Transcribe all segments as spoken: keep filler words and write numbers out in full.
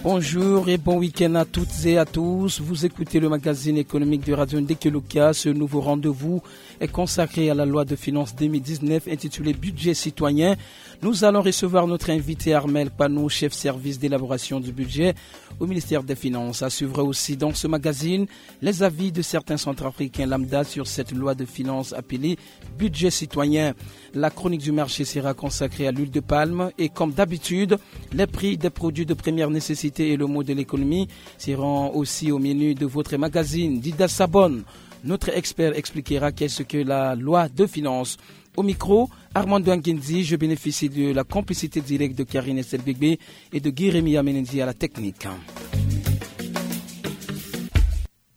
Bonjour et bon week-end à toutes et à tous. Vous écoutez le magazine économique de Radio Ndekeluka. Ce nouveau rendez-vous est consacré à la loi de finances deux mille dix-neuf intitulée Budget citoyen. Nous allons recevoir notre invité Armel Panou, chef service d'élaboration du budget au ministère des Finances. À suivre aussi dans ce magazine les avis de certains centrafricains lambda sur cette loi de finances appelée Budget citoyen. La chronique du marché sera consacrée à l'huile de palme et, comme d'habitude, les prix des produits de première nécessité et le mot de l'économie seront aussi au menu de votre magazine. Dida Sabon, notre expert, expliquera qu'est-ce que la loi de finances. Au micro, Armando Anguindi, je bénéficie de la complicité directe de Karine Estelbegbe et de Guy Rémy Amenendi à la technique.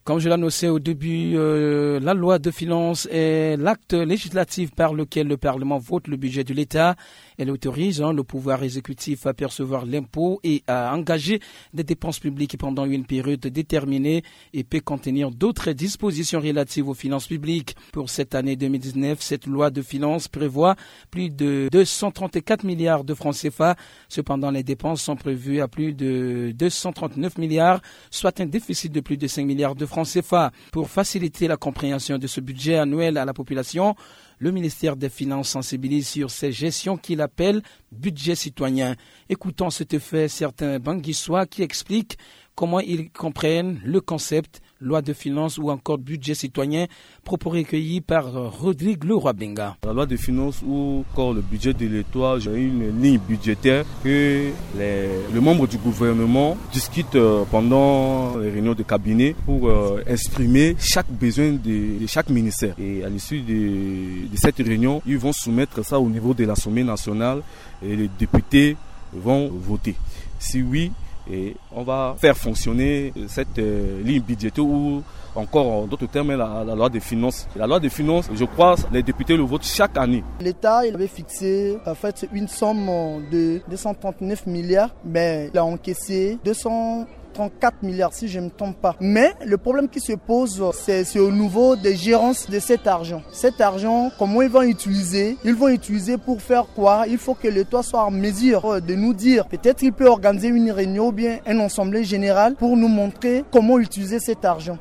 Comme je l'annonçais au début, euh, la loi de finances est l'acte législatif par lequel le Parlement vote le budget de l'État. Elle autorise, hein, le pouvoir exécutif à percevoir l'impôt et à engager des dépenses publiques pendant une période déterminée et peut contenir d'autres dispositions relatives aux finances publiques. Pour cette année deux mille dix-neuf, cette loi de finances prévoit plus de deux cent trente-quatre milliards de francs C F A. Cependant, les dépenses sont prévues à plus de deux cent trente-neuf milliards, soit un déficit de plus de cinq milliards de francs C F A. Pour faciliter la compréhension de ce budget annuel à la population, le ministère des Finances sensibilise sur ces gestions qu'il appelle budget citoyen. Écoutons à cet effet certains Banguissois qui expliquent comment ils comprennent le concept loi de finances ou encore budget citoyen, propos recueillis par, euh, Rodrigue Leroy Benga. La loi de finances ou encore le budget de l'État, j'ai une ligne budgétaire que les, les membres du gouvernement discutent, euh, pendant les réunions de cabinet pour, euh, exprimer chaque besoin de, de chaque ministère. Et à l'issue de, de cette réunion, ils vont soumettre ça au niveau de l'Assemblée nationale et les députés vont voter. Si oui, et on va faire fonctionner cette, euh, ligne budgétaire ou encore, en d'autres termes, la, la loi de finances. La loi de finances, je crois, les députés le votent chaque année. L'État, il avait fixé, en fait, une somme de deux cent trente-neuf milliards, mais il a encaissé deux cent trente-quatre milliards, si je ne me trompe pas. Mais le problème qui se pose, c'est, c'est au niveau des gérances de cet argent. Cet argent, comment ils vont utiliser ? Ils vont utiliser pour faire quoi ? Il faut que l'État soit en mesure, euh, de nous dire. Peut-être il peut organiser une réunion ou bien un assemblée générale pour nous montrer comment utiliser cet argent.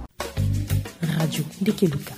Radio Ndekeluka.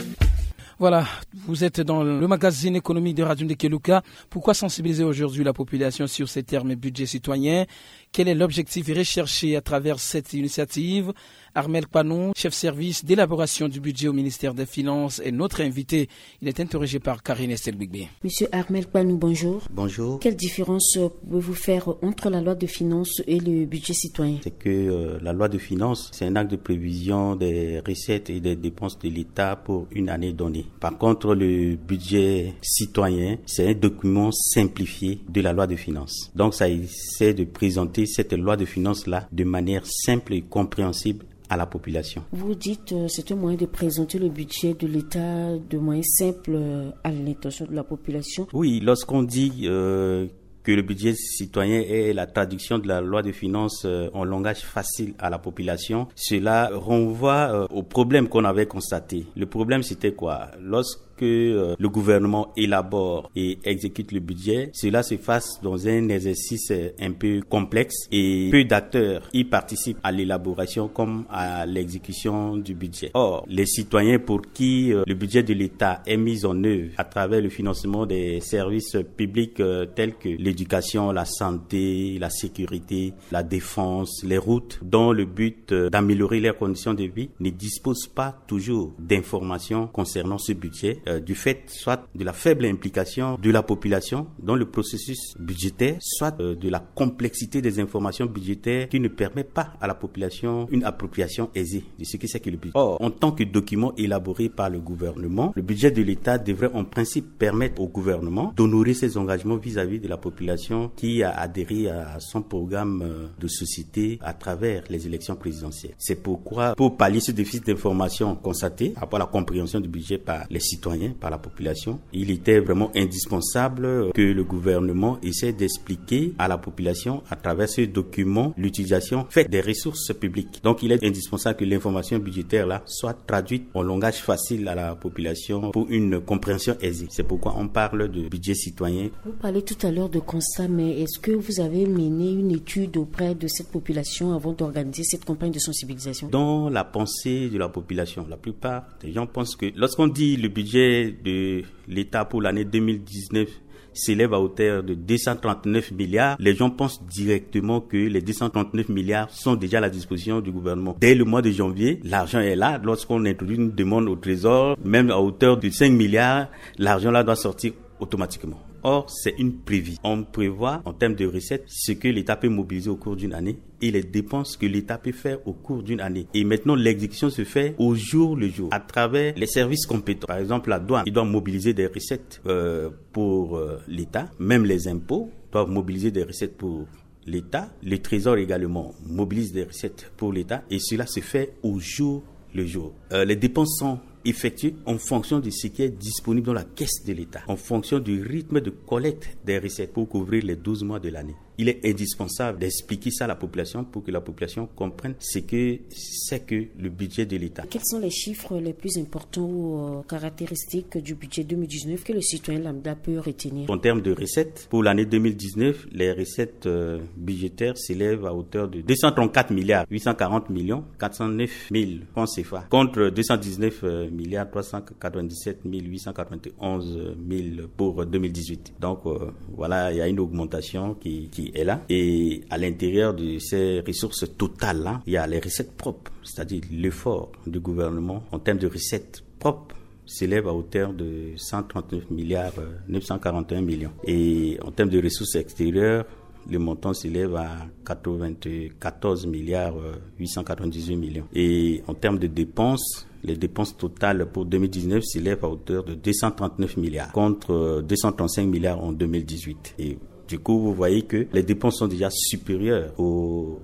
Voilà, vous êtes dans le magazine économique de Radio Ndekeluka. Pourquoi sensibiliser aujourd'hui la population sur ces termes budget citoyen ? Quel est l'objectif recherché à travers cette initiative ? Armel Kpanou, chef service d'élaboration du budget au ministère des Finances, est notre invité. Il est interrogé par Karine Estelbigbe. Monsieur Armel Kpanou, bonjour. Bonjour. Quelle différence, euh, pouvez-vous faire entre la loi de finances et le budget citoyen ? C'est que, euh, la loi de finances, c'est un acte de prévision des recettes et des dépenses de l'État pour une année donnée. Par contre, le budget citoyen, c'est un document simplifié de la loi de finances. Donc, ça essaie de présenter cette loi de finances-là de manière simple et compréhensible à la population. Vous dites, euh, c'est un moyen de présenter le budget de l'État de manière simple, euh, à l'intention de la population. Oui, lorsqu'on dit, euh, que le budget citoyen est la traduction de la loi de finances, euh, en langage facile à la population, cela renvoie, euh, au problème qu'on avait constaté. Le problème, c'était quoi ? Lorsque, euh, le gouvernement élabore et exécute le budget, cela se passe dans un exercice, euh, un peu complexe et peu d'acteurs y participent à l'élaboration comme à l'exécution du budget. Or, les citoyens pour qui, euh, le budget de l'État est mis en œuvre à travers le financement des services publics, euh, tels que l'éducation, la santé, la sécurité, la défense, les routes, dont le but, euh, d'améliorer leurs conditions de vie, ne disposent pas toujours d'informations concernant ce budget, euh, du fait soit de la faible implication de la population dans le processus budgétaire, soit, euh, de la complexité des informations budgétaires qui ne permet pas à la population une appropriation aisée de ce qui c'est que le budget. Or, en tant que document élaboré par le gouvernement, le budget de l'État devrait en principe permettre au gouvernement d'honorer ses engagements vis-à-vis de la population qui a adhéré à son programme, euh, de société à travers les élections présidentielles. C'est pourquoi, pour pallier ce déficit d'information constaté par rapport à la compréhension du budget par les citoyens, hein, par la population. Il était vraiment indispensable que le gouvernement essaie d'expliquer à la population, à travers ce document, l'utilisation faite des ressources publiques. Donc, il est indispensable que l'information budgétaire là soit traduite en langage facile à la population pour une compréhension aisée. C'est pourquoi on parle de budget citoyen. Vous parlez tout à l'heure de constat, mais est-ce que vous avez mené une étude auprès de cette population avant d'organiser cette campagne de sensibilisation ? Dans la pensée de la population, la plupart des gens pensent que lorsqu'on dit le budget de l'État pour l'année deux mille dix-neuf s'élève à hauteur de deux cent trente-neuf milliards, les gens pensent directement que les deux cent trente-neuf milliards sont déjà à la disposition du gouvernement. Dès le mois de janvier, l'argent est là. Lorsqu'on introduit une demande au trésor, même à hauteur de cinq milliards, l'argent là doit sortir automatiquement. Or, c'est une prévision. On prévoit en termes de recettes ce que l'État peut mobiliser au cours d'une année et les dépenses que l'État peut faire au cours d'une année. Et maintenant, l'exécution se fait au jour le jour, à travers les services compétents. Par exemple, la douane, il doit mobiliser des recettes, euh, pour, euh, l'État. Même les impôts doivent mobiliser des recettes pour l'État. Le Trésor également mobilise des recettes pour l'État. Et cela se fait au jour le jour. Euh, les dépenses sont effectuées en fonction de ce qui est disponible dans la caisse de l'État, en fonction du rythme de collecte des recettes pour couvrir les douze mois de l'année. Il est indispensable d'expliquer ça à la population pour que la population comprenne ce que c'est que le budget de l'État. Quels sont les chiffres les plus importants ou, euh, caractéristiques du budget deux mille dix-neuf que le citoyen lambda peut retenir ? En termes de recettes, pour l'année deux mille dix-neuf, les recettes, euh, budgétaires s'élèvent à hauteur de deux cent trente-quatre milliards huit cent quarante millions quatre cent neuf mille francs C F A, contre deux cent dix-neuf milliards trois cent quatre-vingt-dix-sept mille huit cent quatre-vingt-onze mille pour deux mille dix-huit. Donc, euh, voilà, il y a une augmentation qui, qui est là. Et à l'intérieur de ces ressources totales-là, il y a les recettes propres, c'est-à-dire l'effort du gouvernement en termes de recettes propres s'élève à hauteur de cent trente-neuf milliards neuf cent quarante et un millions. Et en termes de ressources extérieures, le montant s'élève à quatre-vingt-quatorze milliards huit cent quatre-vingt-dix-huit millions. Et en termes de dépenses, les dépenses totales pour deux mille dix-neuf s'élèvent à hauteur de deux cent trente-neuf milliards, contre, euh, deux cent trente-cinq milliards en deux mille dix-huit. Et du coup, vous voyez que les dépenses sont déjà supérieures aux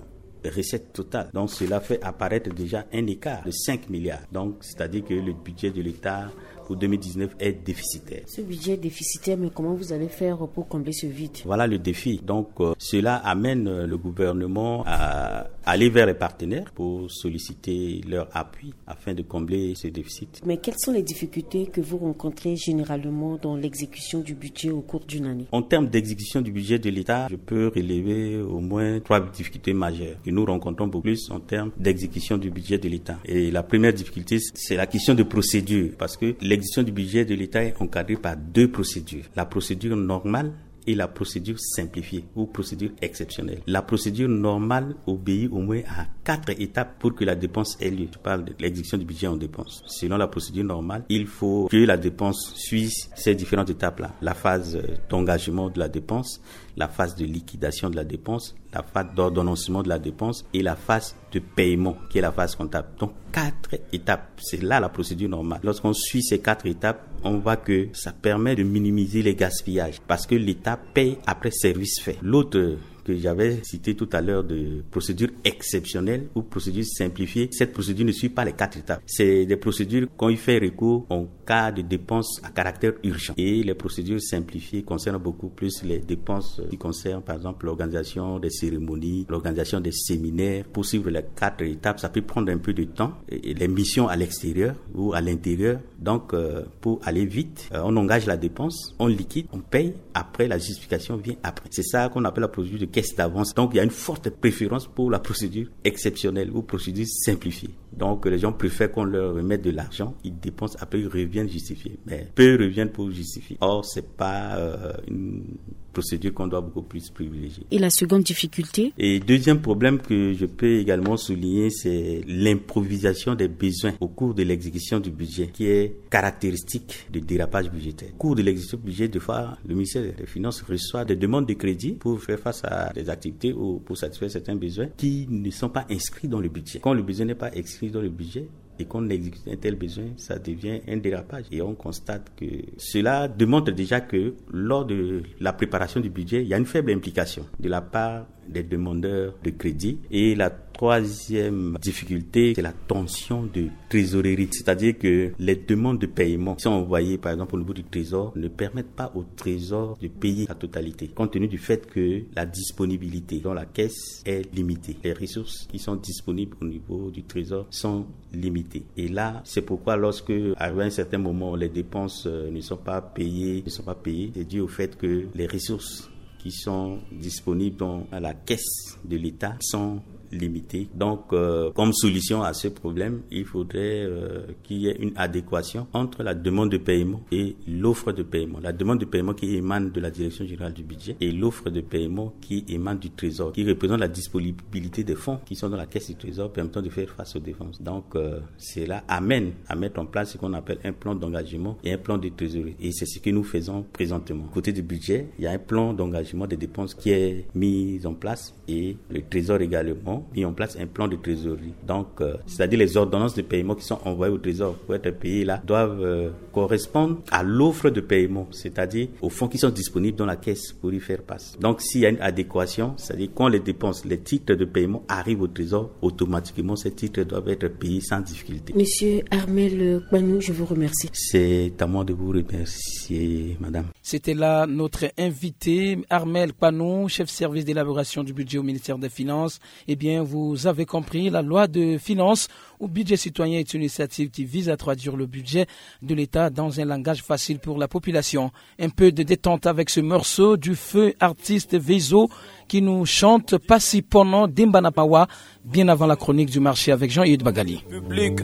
recettes totales. Donc, cela fait apparaître déjà un écart de cinq milliards. Donc, c'est-à-dire que le budget de l'État pour deux mille dix-neuf est déficitaire. Ce budget est déficitaire, mais comment vous allez faire pour combler ce vide ? Voilà le défi. Donc, euh, cela amène, euh, le gouvernement à aller vers les partenaires pour solliciter leur appui afin de combler ce déficit. Mais quelles sont les difficultés que vous rencontrez généralement dans l'exécution du budget au cours d'une année ? En termes d'exécution du budget de l'État, je peux relever au moins trois difficultés majeures que nous rencontrons beaucoup plus en termes d'exécution du budget de l'État. Et la première difficulté, c'est la question de procédure, parce que l'exécution du budget de l'État est encadrée par deux procédures. La procédure normale et la procédure simplifiée ou procédure exceptionnelle. La procédure normale obéit au moins à quatre étapes pour que la dépense ait lieu. Je parle de l'exécution du budget en dépense. Selon la procédure normale, il faut que la dépense suive ces différentes étapes-là. La phase, euh, d'engagement de la dépense, la phase de liquidation de la dépense, la phase d'ordonnancement de la dépense et la phase de paiement, qui est la phase comptable. Donc, quatre étapes. C'est là la procédure normale. Lorsqu'on suit ces quatre étapes, on voit que ça permet de minimiser les gaspillages parce que l'État paye après service fait. L'autre que j'avais cité tout à l'heure de procédure exceptionnelle ou procédure simplifiée, cette procédure ne suit pas les quatre étapes. C'est des procédures qu'on y fait recours en cas de dépenses à caractère urgent. Et les procédures simplifiées concernent beaucoup plus les dépenses qui concernent, par exemple, l'organisation des cérémonies, l'organisation des séminaires. Pour suivre les quatre étapes, ça peut prendre un peu de temps. Et les missions à l'extérieur ou à l'intérieur, donc, euh, pour aller vite, euh, on engage la dépense, on liquide, on paye. Après, la justification vient après. C'est ça qu'on appelle la procédure de caisse d'avance. Donc, il y a une forte préférence pour la procédure exceptionnelle ou procédure simplifiée. Donc, les gens préfèrent qu'on leur remette de l'argent, ils dépensent, après ils reviennent justifier. Mais peu reviennent pour justifier. Or, c'est pas, euh, une procédure qu'on doit beaucoup plus privilégier. Et la seconde difficulté ? Et deuxième problème que je peux également souligner, c'est l'improvisation des besoins au cours de l'exécution du budget, qui est caractéristique de dérapage budgétaire. Au cours de l'exécution du budget, des fois, le ministère des Finances reçoit des demandes de crédit pour faire face à des activités ou pour satisfaire certains besoins qui ne sont pas inscrits dans le budget. Quand le besoin n'est pas inscrit dans le budget et qu'on exécute un tel besoin, ça devient un dérapage. Et on constate que cela démontre déjà que lors de la préparation du budget, il y a une faible implication de la part des demandeurs de crédit. Et la troisième difficulté, c'est la tension de trésorerie. C'est-à-dire que les demandes de paiement qui sont envoyées, par exemple, au niveau du trésor ne permettent pas au trésor de payer la totalité, compte tenu du fait que la disponibilité dans la caisse est limitée. Les ressources qui sont disponibles au niveau du trésor sont limitées. Et là, c'est pourquoi lorsque, arrivé à un certain moment, les dépenses, euh, ne sont pas payées, ne sont pas payées, c'est dû au fait que les ressources qui sont disponibles dans la caisse de l'État sont limitées. Donc, euh, comme solution à ce problème, il faudrait, euh, qu'il y ait une adéquation entre la demande de paiement et l'offre de paiement. La demande de paiement qui émane de la Direction générale du budget et l'offre de paiement qui émane du Trésor, qui représente la disponibilité des fonds qui sont dans la caisse du Trésor permettant de faire face aux dépenses. Donc, euh, cela amène à mettre en place ce qu'on appelle un plan d'engagement et un plan de trésorerie. Et c'est ce que nous faisons présentement. Côté du budget, il y a un plan d'engagement des dépenses qui est mis en place et le Trésor également mis en place un plan de trésorerie. Donc, euh, c'est-à-dire les ordonnances de paiement qui sont envoyées au Trésor pour être payées là doivent, euh, correspondre à l'offre de paiement, c'est-à-dire aux fonds qui sont disponibles dans la caisse pour y faire face. Donc, s'il y a une adéquation, c'est-à-dire quand les dépenses, les titres de paiement arrivent au Trésor, automatiquement, ces titres doivent être payés sans difficulté. Monsieur Armel Kpanou, je vous remercie. C'est à moi de vous remercier, madame. C'était là notre invité, Armel Kpanou, chef service d'élaboration du budget au ministère des Finances. Eh bien, vous avez compris, la loi de finances ou budget citoyen est une initiative qui vise à traduire le budget de l'État dans un langage facile pour la population. Un peu de détente avec ce morceau du feu artiste Veizo qui nous chante Pasi Pono Dimbana Mawa, bien avant la chronique du marché avec Jean-Yves Bagali. Public.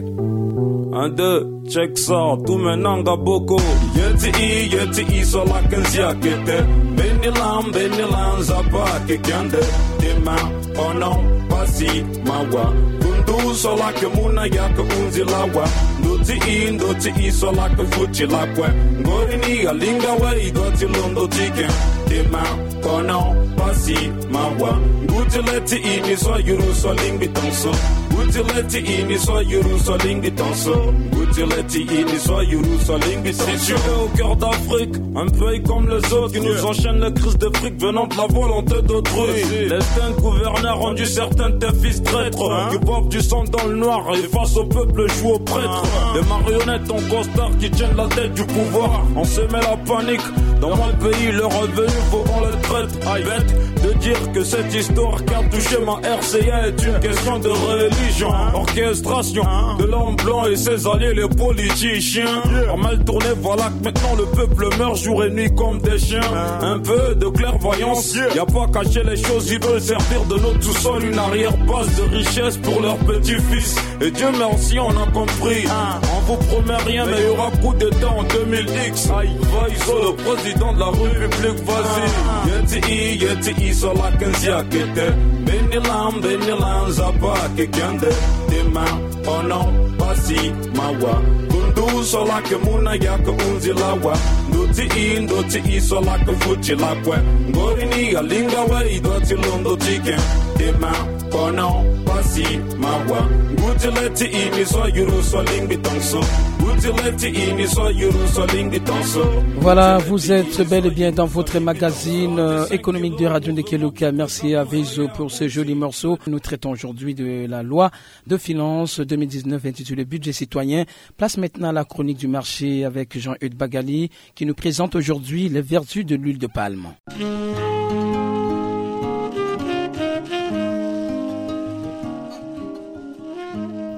Un, deux, check ça, tout maintenant, boko. Yeti i, yeti i, so la kenzia kete. Beni lam, beni lam, zapa, ke kende. Dema, ono, pasi, mawa. Kundu, so la ke muna, ya ke unzi lawa. Ndoti i, ndoti i, so la ke futi la kwe. Ngori ni, alinga we, i doti londo tike. Dema, kono, pasi, mawa. Nguti leti ini so yuru so lingbi tonso. Nguti leti ini so yuru so lingbi tonso. Nguti leti ini so yuru so lingbi tonso. Situé au cœur d'Afrique, un pays comme les autres qui nous enchaîne les crises de fric venant de la volonté d'autrui. L'instinct de gouverner a rendu certains de tes fils traîtres, qui boivent du sang dans le noir et face au peuple jouent au prêtre. Des marionnettes en costard qui tiennent la tête du pouvoir. On se met la panique. Dans mon pays, le revenu vaut on le traite. Bête de dire que cette histoire qui a touché ma R C A est une question de religion. Orchestration de l'homme blanc et ses alliés, les politiciens. A mal tourné, voilà que maintenant le peuple meurt jour et nuit comme des chiens. Un peu de clairvoyance, y a pas caché les choses, ils veulent servir de notre sous-sol une arrière-base de richesse pour leurs petits-fils. Et Dieu merci, on a compris. On vous promet rien, mais il y aura coup d'État en deux mille X. Aïe, va, ils sont le président de la République, vas-y. Yeti i, yeti i, so la kenzia kete. Beni lam, beni lam, zapa, ke kende. Dema, ono, pasi, mawa. Kundu, so la ke muna, ya ke unzi lawa. Ndoti i, ndoti i, so la ke futi la kwe. Ngori ni, alinga we, i doti londo tike. Dema, kono, pasi, mawa. Nguti leti ini so yuru so lingbi tonso. Nguti leti ini so yuru so lingbi tonso. Voilà, vous êtes bel et bien dans votre magazine, euh, économique de Radio Ndekeluka. Merci à Veizo pour ce joli morceau. Nous traitons aujourd'hui de la loi de finances deux mille dix-neuf intitulée Budget citoyen. Place maintenant à la chronique du marché avec Jean-Eudes Bagali, qui nous présente aujourd'hui les vertus de l'huile de palme.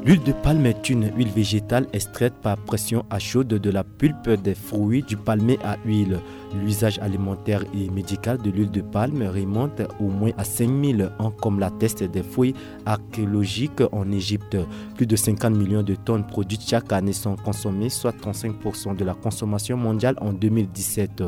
L'huile de palme est une huile végétale extraite par pression à chaude de la pulpe des fruits du palmier à huile. L'usage alimentaire et médical de l'huile de palme remonte au moins à cinq mille ans, comme l'attestent des fouilles archéologiques en Égypte. Plus de cinquante millions de tonnes produites chaque année sont consommées, soit trente-cinq pour cent de la consommation mondiale en deux mille dix-sept.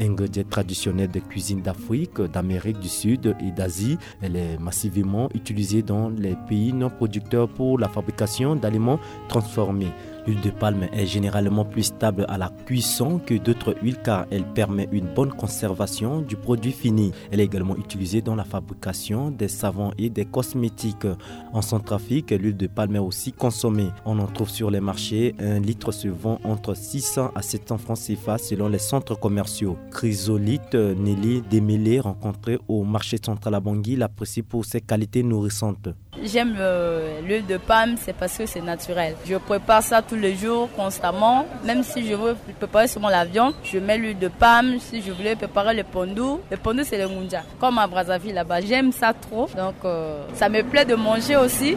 Ingrédient traditionnel des cuisines d'Afrique, d'Amérique du Sud et d'Asie, elle est massivement utilisée dans les pays non producteurs pour la fabrication d'aliments transformés. L'huile de palme est généralement plus stable à la cuisson que d'autres huiles car elle permet une bonne conservation du produit fini. Elle est également utilisée dans la fabrication des savons et des cosmétiques. En Centrafrique, l'huile de palme est aussi consommée. On en trouve sur les marchés. Un litre se vend entre six cents à sept cents francs C F A selon les centres commerciaux. Chrysolite, euh, Nelly Démêlé, rencontrée au marché central à Bangui, l'apprécie pour ses qualités nourrissantes. J'aime euh, l'huile de palme, c'est parce que c'est naturel. Je prépare ça tous les jours, constamment. Même si je veux préparer seulement la viande, je mets l'huile de palme. Si je voulais préparer le pondou, le pondou, c'est le ngunja. Comme à Brazzaville là-bas, j'aime ça trop. Donc euh, ça me plaît de manger aussi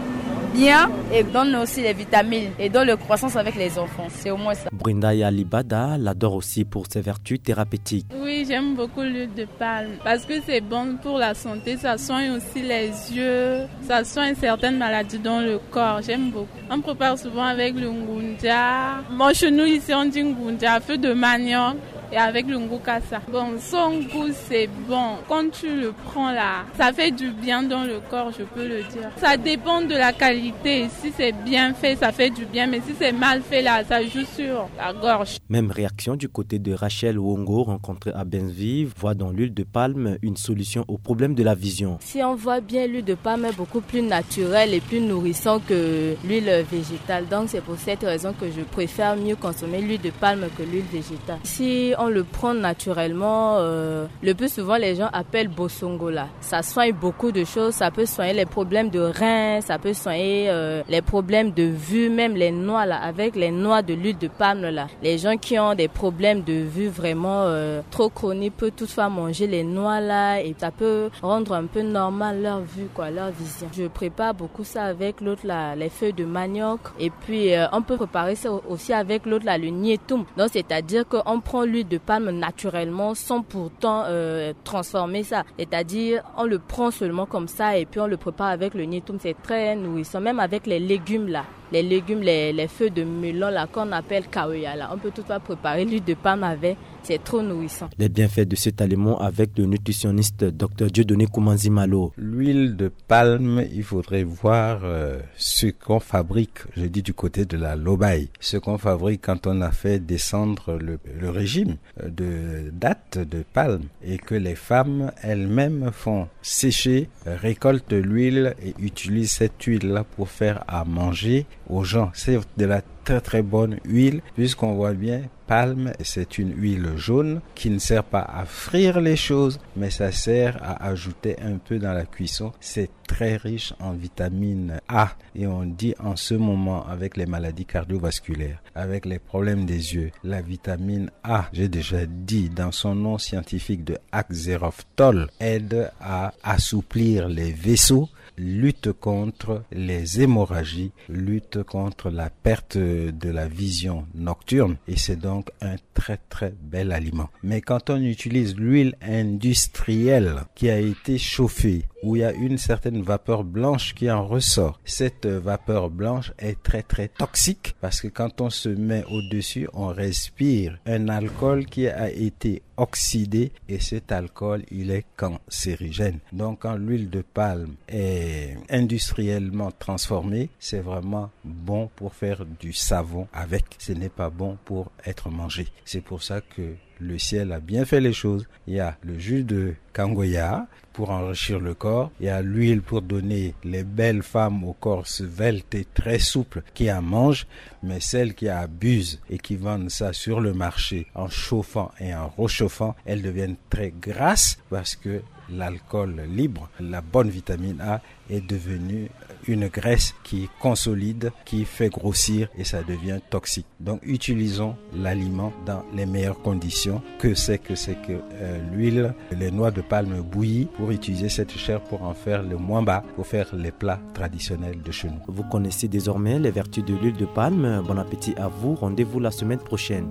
bien et donne aussi les vitamines et donne le croissance avec les enfants. C'est au moins ça. Brenda Yalibada l'adore aussi pour ses vertus thérapeutiques. Oui, j'aime beaucoup l'huile de palme parce que c'est bon pour la santé, ça soigne aussi les yeux, ça soigne certaines maladies dans le corps. J'aime beaucoup. On prépare souvent avec le ngunja. Bon, chez nous ici, on dit ngunja, feu de manioc et avec le ngukasa. Bon, son goût, c'est bon. Quand tu le prends là, ça fait du bien dans le corps, je peux le dire. Ça dépend de la qualité. Si c'est bien fait, ça fait du bien. Mais si c'est mal fait là, ça joue sur la gorge. Même réaction du côté de Rachel Wongo, rencontrée à Benvive, voit dans l'huile de palme une solution au problème de la vision. Si on voit bien, l'huile de palme est beaucoup plus naturelle et plus nourrissante que l'huile végétale. Donc c'est pour cette raison que je préfère mieux consommer l'huile de palme que l'huile végétale. Si on le prend naturellement, euh, le plus souvent les gens appellent bosongola. Ça soigne beaucoup de choses. Ça peut soigner les problèmes de reins, ça peut soigner euh, les problèmes de vue, même les noix là, avec les noix de l'huile de palme là. Les gens qui ont des problèmes de vue vraiment euh, trop chroniques peuvent toutefois manger les noix là et ça peut rendre un peu normal leur vue, quoi, leur vision. Je prépare beaucoup ça avec l'autre là, les feuilles de manioc. Et puis euh, on peut préparer ça aussi avec l'autre là, le nietum. Donc c'est-à-dire qu'on prend l'huile de palme naturellement sans pourtant euh, transformer ça. C'est-à-dire on le prend seulement comme ça et puis on le prépare avec le nietum. C'est très nourrissant, même avec les légumes là. Les légumes, les, les feuilles de melon là qu'on appelle kaoya là, on peut toutefois préparer l'huile de palme avec. C'est trop nourrissant. Les bienfaits de cet aliment avec le nutritionniste Dr Dieudonné Koumanzi Malo. L'huile de palme, il faudrait voir euh, ce qu'on fabrique, je dis du côté de la lobaye, ce qu'on fabrique quand on a fait descendre le, le régime euh, de dattes de palme et que les femmes elles-mêmes font sécher, récoltent l'huile et utilisent cette huile-là pour faire à manger aux gens. C'est de la très très bonne huile puisqu'on voit bien, palme, c'est une huile jaune qui ne sert pas à frire les choses, mais ça sert à ajouter un peu dans la cuisson. C'est très riche en vitamine A et on dit en ce moment avec les maladies cardiovasculaires, avec les problèmes des yeux, la vitamine A, j'ai déjà dit dans son nom scientifique de Axeroftol, aide à assouplir les vaisseaux, lutte contre les hémorragies, lutte contre la perte de la vision nocturne et c'est donc un très très bel aliment. Mais quand on utilise l'huile industrielle qui a été chauffée, où il y a une certaine vapeur blanche qui en ressort, cette vapeur blanche est très très toxique parce que quand on se met au-dessus, on respire un alcool qui a été oxydé et cet alcool, il est cancérigène. Donc quand l'huile de palme est industriellement transformée, c'est vraiment bon pour faire du savon avec. Ce n'est pas bon pour être mangé. C'est pour ça que le ciel a bien fait les choses. Il y a le jus de kangoya pour enrichir le corps. Il y a l'huile pour donner les belles femmes au corps svelte et très souple qui en mangent. Mais celles qui abusent et qui vendent ça sur le marché en chauffant et en rechauffant, elles deviennent très grasses parce que l'alcool libre, la bonne vitamine A, est devenue une graisse qui consolide, qui fait grossir et ça devient toxique. Donc utilisons l'aliment dans les meilleures conditions. Que c'est que c'est que euh, l'huile, les noix de palme bouillies pour utiliser cette chair pour en faire le mwamba, pour faire les plats traditionnels de chez nous. Vous connaissez désormais les vertus de l'huile de palme. Bon appétit à vous. Rendez-vous la semaine prochaine.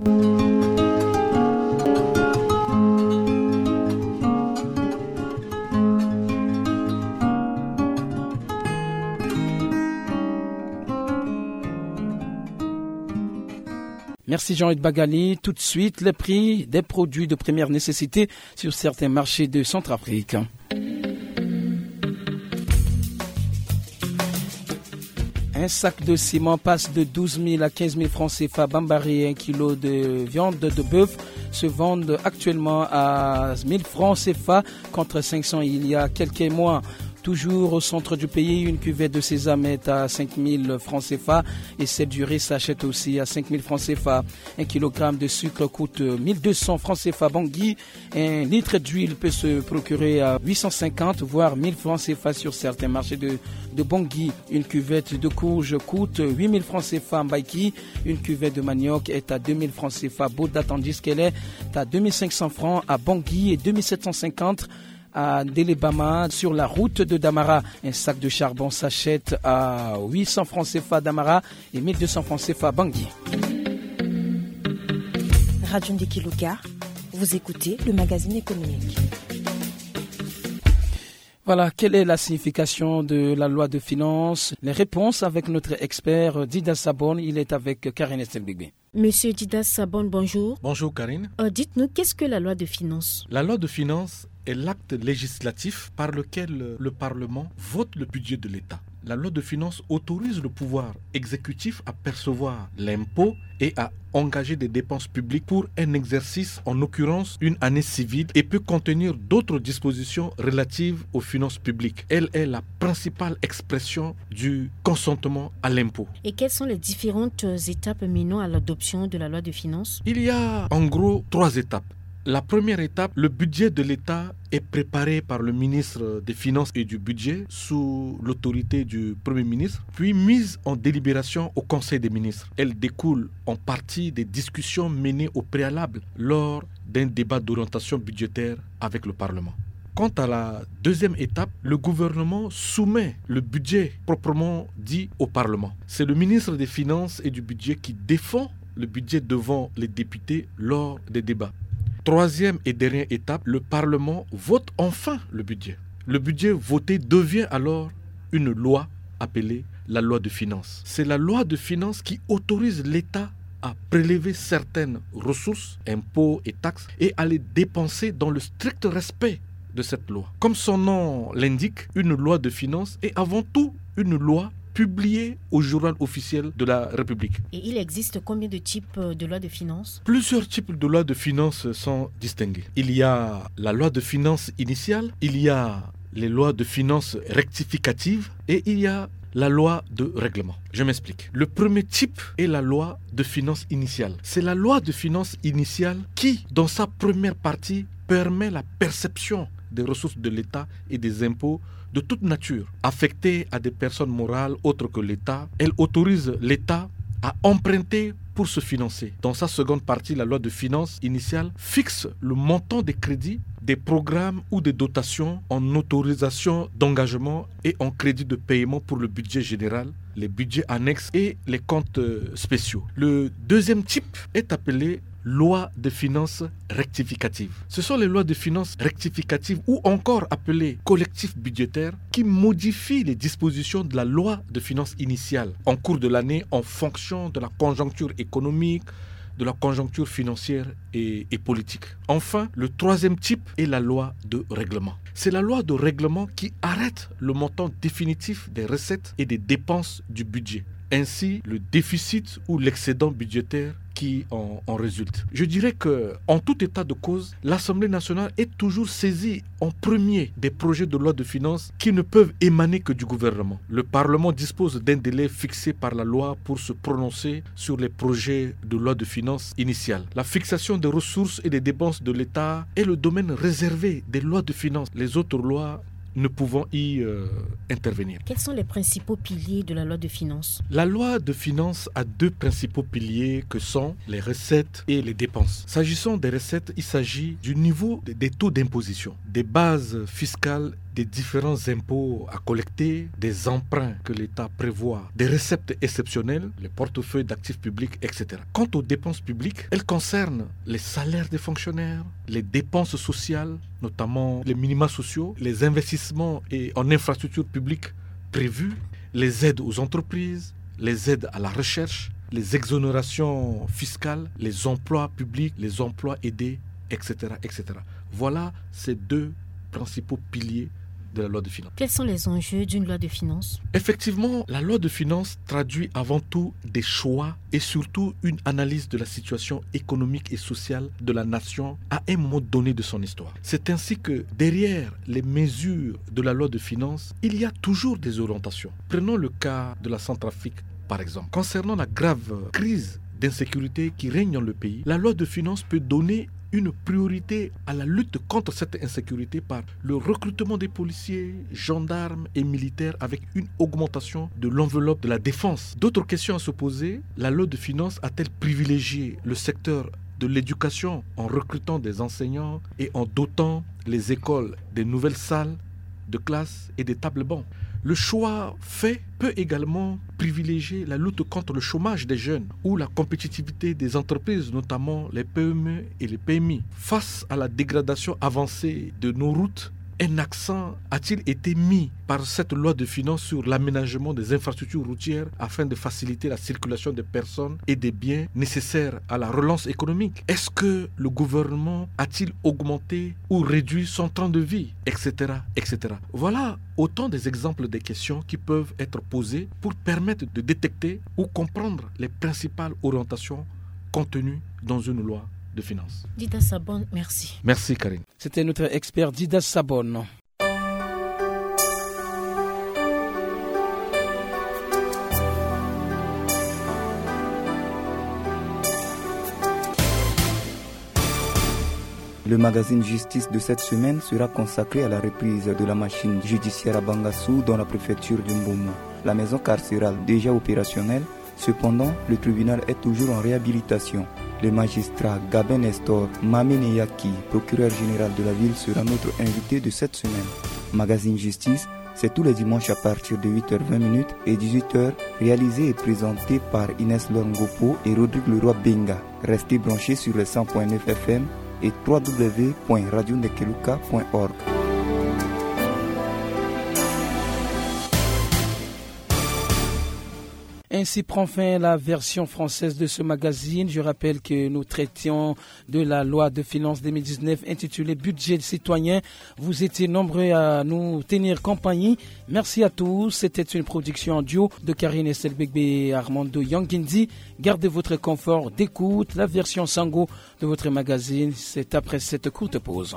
Merci Jean-Hugues Bagali. Tout de suite, les prix des produits de première nécessité sur certains marchés de Centrafrique. Un sac de ciment passe de douze mille à quinze mille francs C F A. Bambari, un kilo de viande de bœuf se vend actuellement à mille francs C F A contre cinq cents il y a quelques mois. Toujours au centre du pays, une cuvette de sésame est à cinq mille francs C F A et celle du riz s'achète aussi à cinq mille francs C F A. Un kilogramme de sucre coûte mille deux cents francs C F A Bangui. Un litre d'huile peut se procurer à huit cent cinquante voire mille francs C F A sur certains marchés de, de Bangui. Une cuvette de courge coûte huit mille francs C F A à Mbaïki. Une cuvette de manioc est à deux mille francs C F A à Boda, tandis qu'elle est à deux mille cinq cents francs à Bangui et deux mille sept cent cinquante à Ndelebama sur la route de Damara. Un sac de charbon s'achète à huit cents francs C F A à Damara et mille deux cents francs C F A à Bangui. Radio Ndeki Luka, vous écoutez le magazine économique. Voilà, quelle est la signification de la loi de finances ? Les réponses avec notre expert Dida Sabon, il est avec Karine Estelbegbe. Monsieur Dida Sabon, bonjour. Bonjour Karine. Euh, dites-nous, qu'est-ce que la loi de finances ? La loi de finances est l'acte législatif par lequel le Parlement vote le budget de l'État. La loi de finances autorise le pouvoir exécutif à percevoir l'impôt et à engager des dépenses publiques pour un exercice, en l'occurrence une année civile, et peut contenir d'autres dispositions relatives aux finances publiques. Elle est la principale expression du consentement à l'impôt. Et quelles sont les différentes étapes menant à l'adoption de la loi de finances ? Il y a en gros trois étapes. La première étape, le budget de l'État est préparé par le ministre des Finances et du Budget sous l'autorité du Premier ministre, puis mise en délibération au Conseil des ministres. Elle découle en partie des discussions menées au préalable lors d'un débat d'orientation budgétaire avec le Parlement. Quant à la deuxième étape, le gouvernement soumet le budget proprement dit au Parlement. C'est le ministre des Finances et du Budget qui défend le budget devant les députés lors des débats. Troisième et dernière étape, le Parlement vote enfin le budget. Le budget voté devient alors une loi appelée la loi de finances. C'est la loi de finances qui autorise l'État à prélever certaines ressources, impôts et taxes, et à les dépenser dans le strict respect de cette loi. Comme son nom l'indique, une loi de finances est avant tout une loi publiée au journal officiel de la République. Et il existe combien de types de lois de finances ? Plusieurs types de lois de finances sont distingués. Il y a la loi de finances initiale, il y a les lois de finances rectificatives et il y a la loi de règlement. Je m'explique. Le premier type est la loi de finances initiale. C'est la loi de finances initiale qui, dans sa première partie, permet la perception des ressources de l'État et des impôts de toute nature affectées à des personnes morales autres que l'État. Elle autorise l'État à emprunter pour se financer. Dans sa seconde partie, la loi de finances initiale fixe le montant des crédits, des programmes ou des dotations en autorisation d'engagement et en crédit de paiement pour le budget général, les budgets annexes et les comptes, euh, spéciaux. Le deuxième type est appelé loi de finances rectificative. Ce sont les lois de finances rectificatives ou encore appelées collectif budgétaire qui modifient les dispositions de la loi de finances initiale en cours de l'année en fonction de la conjoncture économique, de la conjoncture financière et, et politique. Enfin, le troisième type est la loi de règlement. C'est la loi de règlement qui arrête le montant définitif des recettes et des dépenses du budget, ainsi le déficit ou l'excédent budgétaire qui en, en résulte. Je dirais que, en tout état de cause, l'Assemblée nationale est toujours saisie en premier des projets de loi de finances qui ne peuvent émaner que du gouvernement. Le Parlement dispose d'un délai fixé par la loi pour se prononcer sur les projets de loi de finances initiale. La fixation des ressources et des dépenses de l'État est le domaine réservé des lois de finances. Les autres lois ne pouvant y, euh, intervenir. Quels sont les principaux piliers de la loi de finances ? La loi de finances a deux principaux piliers que sont les recettes et les dépenses. S'agissant des recettes, il s'agit du niveau de, des taux d'imposition, des bases fiscales des différents impôts à collecter, des emprunts que l'État prévoit, des recettes exceptionnelles, les portefeuilles d'actifs publics, et cetera. Quant aux dépenses publiques, elles concernent les salaires des fonctionnaires, les dépenses sociales, notamment les minima sociaux, les investissements et en infrastructures publiques prévus, les aides aux entreprises, les aides à la recherche, les exonérations fiscales, les emplois publics, les emplois aidés, et cetera, et cetera. Voilà ces deux principaux piliers de la loi de finances. Quels sont les enjeux d'une loi de finances ? Effectivement, la loi de finances traduit avant tout des choix et surtout une analyse de la situation économique et sociale de la nation à un moment donné de son histoire. C'est ainsi que derrière les mesures de la loi de finances, il y a toujours des orientations. Prenons le cas de la Centrafrique, par exemple. Concernant la grave crise d'insécurité qui règne dans le pays, la loi de finances peut donner une priorité à la lutte contre cette insécurité par le recrutement des policiers, gendarmes et militaires avec une augmentation de l'enveloppe de la défense. D'autres questions à se poser, la loi de finances a-t-elle privilégié le secteur de l'éducation en recrutant des enseignants et en dotant les écoles des nouvelles salles de classe et des tables-bancs ? Le choix fait peut également privilégier la lutte contre le chômage des jeunes ou la compétitivité des entreprises, notamment les P M E et les P M I. Face à la dégradation avancée de nos routes, un accent a-t-il été mis par cette loi de finances sur l'aménagement des infrastructures routières afin de faciliter la circulation des personnes et des biens nécessaires à la relance économique ? Est-ce que le gouvernement a-t-il augmenté ou réduit son train de vie, et cetera, et cetera. Voilà autant des exemples des questions qui peuvent être posées pour permettre de détecter ou comprendre les principales orientations contenues dans une loi de finances. Dida Sabon, merci. Merci, Karine. C'était notre expert Dida Sabon. Le magazine Justice de cette semaine sera consacré à la reprise de la machine judiciaire à Bangassou dans la préfecture de Mbomou. La maison carcérale, déjà opérationnelle, cependant, le tribunal est toujours en réhabilitation. Le magistrat Gabin Nestor Mamene Yaki, procureur général de la ville, sera notre invité de cette semaine. Magazine Justice, c'est tous les dimanches à partir de huit heures vingt minutes et dix-huit heures, réalisé et présenté par Inès Lorngopo et Rodrigue Leroy Benga. Restez branchés sur le cent point neuf F M et trois W point radio nekeluka point org. Ainsi prend fin la version française de ce magazine. Je rappelle que nous traitions de la loi de finances deux mille dix-neuf intitulée Budget citoyen. Vous étiez nombreux à nous tenir compagnie. Merci à tous. C'était une production en duo de Karine Estelbegbe et Armando Yangindi. Gardez votre confort d'écoute. La version Sango de votre magazine, c'est après cette courte pause.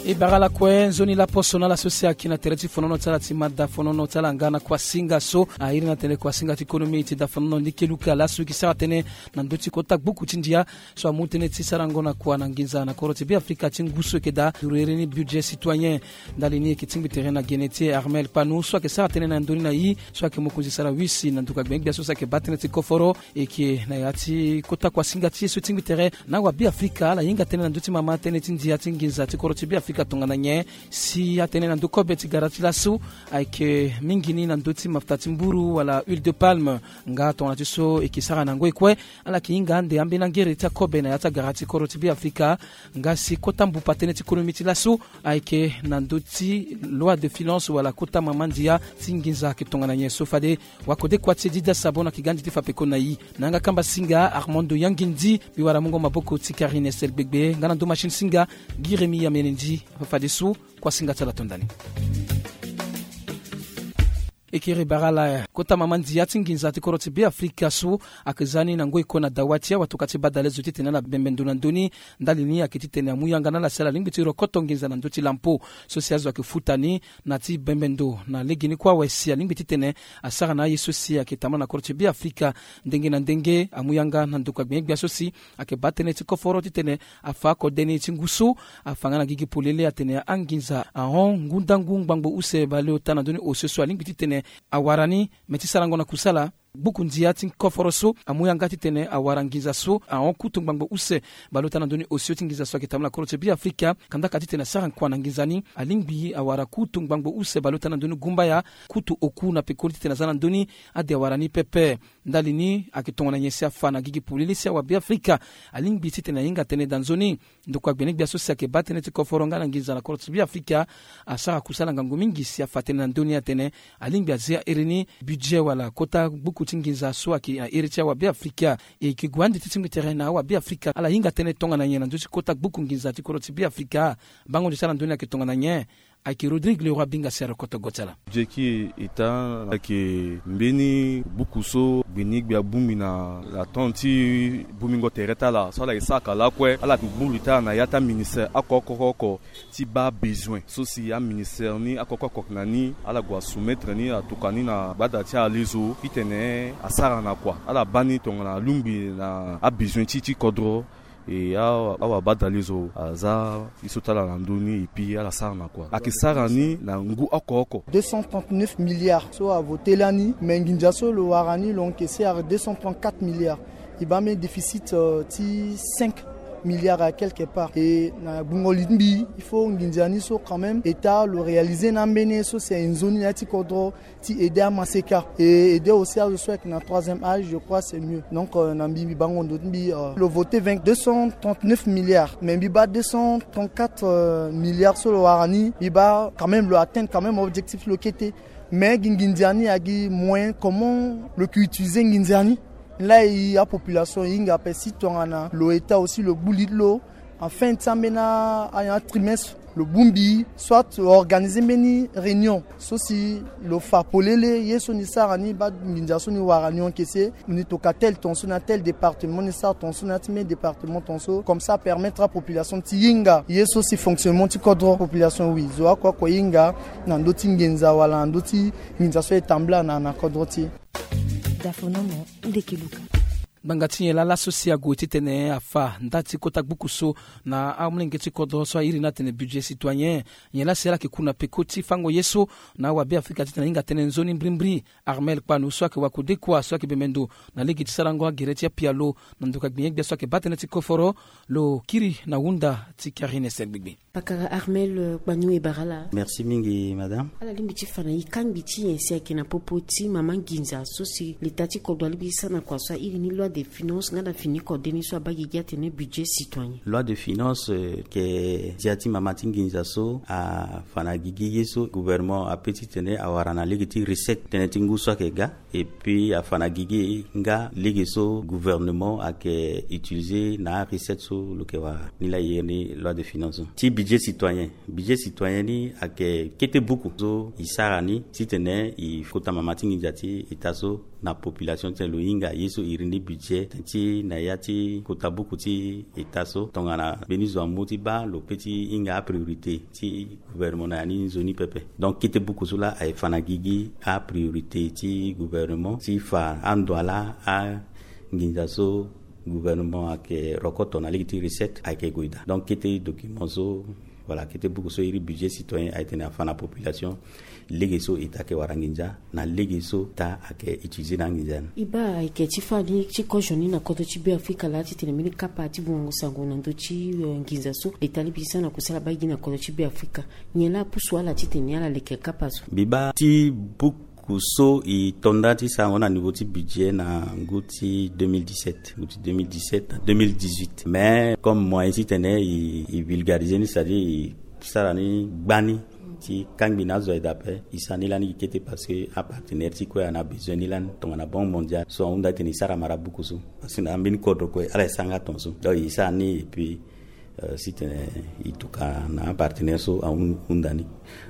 E bara lakue nzoni laposo na ala so si ayeke na tere ti fonono ti ala ti mada fonono ti ala nga na kuasinga so airi na tene kuasinga ti konomi ti da fonono ni keluka laso e yeke sara tënë na ndö ti kota gbuku ti ndia so amu tënë ti sarango na kua na nginza na kodro ti Beafrika ti ngu so e yeke daa duru iri ni budget citoyen. Ndali ni e yeke tingbi tere na gene ti e Armel Kpanu so ayeke sara tënë na ndö ni na e so ayeke mokonzi sara wisi na nduka gbengbe gbia so si ayeke baa tënë ti koforo. E yeke na ya ti kota kuasinga ti e so e tingbi tere na awabeafrika ala hinga tënë na ndö ti mama tënë ti ndia ti nginza ti kodro ti Beafrika tongana nyen si atënë na ndö kobe ti gara ti laso ayeke mingi ni na ndö ti mafuta ti mburu wala huile de palme. Nga tongana ti so e yeke sara na ngoi kue ala yeke hinga ande ambeni angere ti akobe na ya ti agara ti kodro ti Beafrika. Nga si kota mbupa tënë ti konomi ti laso ayeke na ndö ti loi de finance wala kota mama ndia ti nginza ayeke tongana nyen so fade wakode kua ti e Dida Sabon ayeke ga andi ti fa peko na e. Na yanga kamba singa Armando Yangindi mbi wara mungo maboko ti Karine Estel Gbegbe nga na ndö machine singa Gi Remi Yamene Ndi. Afa fadeso kuasinga ti ala to ndani. E kiri bara ala kota mama ndia ti nginza ti kodro ti Beafrika so ayeke za ni na ngoi kue na dawa ti awatokua ti badalezo titene ala bembe ndo na ndö ni. Ndali ni ayeke titene amu yanga na ala si ala lingbi ti rokoto nginza na ndö ti lampo so si azo ayeke futa ni na ti bembe ndo na legeni kue awe si alingbi titene asara na aye so si ayeke tambula na kodro ti Beafrika ndenge na ndenge. Amu yanga na ndokua gbengbe gbia so si ayeke baa tënë ti koforo titene afa akode ni ti ngu so afa nga na gigi polele atene anginza ahon ngu ndangu ngbangbo use baleota na ndö ni osio so alingbi titene awara ni me ti sarango na kusala. Gbuku ndia ti koforo so amu yanga titene awara nginza so ahon kutu ngbangbo use baleota na ndö ni osio ti nginza so ayeke tambula na kodro ti Beafrika. Kandaka titene asara kua na nginza ni, alingbi awara kutu ngbangbo use baleota na ndö ni gumbaya, kutu oku na pekoni titene aza na ndö ni ade awara ni pepe. Ndali ni ayeke tongana nyen si afa na gigi polele si awabeafrika alingbi titene ahinga tënë daa nzoni. Ndokua gbene-gbia so si ayeke baa tënë ti koforo nga na nginza na kodro ti Beafrika asara kusala ngangu mingi si afa tënë na ndö ni atene alingbi azia iri ni budget wala kota gbuku ti nginza so ayeke na iri ti awabeafrika. E yeke gue ande ti tingbi tere na awabeafrika ala hinga tënë tongana nyen na ndö ti kota gbuku nginza ti kodro ti Beafrika. Bango ndio ti ala ndö ni ayeke tongana nyen? Ayeke Rodrigue Leroy Binga si arokoto go ti ala. Budget ti État ayeke mbeni buku so gbini gbia bongbi na la temps ti bongbingo tere ti ala so ala yeke saka lakue. Ala yeke bongbi ti ala na ya ti aministère oko oko oko ti baa besoin so si aministère ni oko oko oko na ni ala gue asoumettre ni atokua ni na gbada ti ala lezo titene asara na kua. Ala baa ni tongana alungbi na abesoin ti ti kodro. E awa, awa badale zo aza ye so ti ala na ndö ni, et puis ala sara na kua. Ayeke sara ni na ngu oko oko. Deux cent trente-neuf milliards so avote lani, mais nginza so lo wara ni lo yeke sara deux cent trente-quatre milliards. E baa mbeni déficit, euh, ti cinq milliards à quelque part. E na gbungo li ti mbi, il faut nginza ni so quand même État lo réaliser ni ambeni ye so si aye nzoni na ya ti kodro ti aider amaseka et aider aussi azo so ayeke na troisième âge, je crois c'est mieux. Donc, euh, na mbi, mbi bango ndo ti mbi, euh, lo voter vingt, deux cent trente-neuf milliards, mais mbi baa deux cent trente-quatre, euh, milliards so lo wara ni, mbi baa quand même lo atteindre quand même objectif ti lo kete. Mais gi nginza ni agi moyen comment lo yeke utiliser nginza ni. Laa e apopulation e hinga ape si tongana lo État aussi lo gbu li ti lo en fin ti ambeni a, a trimestre, lo bongbi soit lo organiser mbeni réunion so si lo fa polele ye so ni sara ni, baa nginza so ni wara ni yeke se, ni tokua tel ton so na tel département, ni sara ton so na ya ti mbeni département ton so, comme ça permettre apopulation ti hinga ye so si fonctionnement ti kodro. Population oui, zo oko oko e hinga na ndö ti nginza wala na ndö ti nginza so e tambula na, na kodro ti e. Dafonomo, ndeke luka. Ngbanga ti nyen laa laso si ague titene afa nda ti kota gbuku so na amolenge ti kodro so airi ni atene budget citoyen? Nyen laa si ala yeke ku na peko ti fango ye so na awabeafrika titene ahinga tënë nzoni mbrimbri? Armel Kpanu so ayeke wakodekua so ayeke bembe ndo na lege ti sarango agere ti apialo na ndoka gbinye-gbia so ayeke baa tënë ti koforo, lo kiri na hunda ti Karine Sel Gbigbi. Pakara Armel, euh, Kpanu, e bara ala. Merci mingi, madame. Ala lingbi ti fa na e kangbi ti nyen si ayeke na popo ti mama nginza so si leta ti kodro alingbi ti sara na kua so airi ni loi de finance nga na fini kode ni so abaa gigi atene budget citoyen. Loi de finance, euh, yeke ndia ti mama ti nginza so afa na gigi ye so gouvernement ape titene awara na lege ti recette tënë ti ngu so ayeke ga. Et puis afa na gigi nga lege so gouvernement ayeke utiliser na arecette so lo yeke wara. Ni laa e iri ni loi de finance ti budget citoyen. Budget citoyen ni ayeke kete buku so e sara ni titene e kota mama ti nginza ti État so na population titene lo hinga ye so e iri ni budget ti na ya ti kota buku ti État so tongana mbeni zo amu ti baa lo pe ti hinga apriorité ti gouvernement na ya ni nzoni pepe. Donc kete buku so laa aye fa na gigi apriorité ti gouvernement ti fa ando ala anginza so gouvernement ayeke rokoto na lege ti recette ayeke gue daa. Donc kete document so, voilà, kete buku so iri budget citoyen aye tene afa na population lege so État ayeke wara nginza na lege so État ayeke utiliser na anginza ni. E baa ayeke ti fani ti kozo ni na kodro ti Beafrika laa titene mbeni kapa ti bungango sango na ndö ti, euh, nginza so leta alingbi ti sara na kusala baa gi na kodro ti Beafrika. Nyen laa apusu ala titene ala leke kapa so? Mbi baa ti buku so e to nda ti sarango na niveau ti budget na ngu ti deux mille dix-sept, ngu ti deux mille dix-sept na deux mille dix-huit. Mais comme moyen titene e, e vulgariser ni, c'est-à-dire e sara ni gbani ti kangbi na azo aye daa ape, e sara ni lani gi kete parce que apartenaire ti kue ana besoin ni lani tongana Banque Mondiale so ahunda titene e sara mara buku so. Parce que na ambeni kodro kue ala e sara nga ton so. Donc e sara ni et puis, euh, si tene e tokua na apartenaire so ahun-, ahunda ni.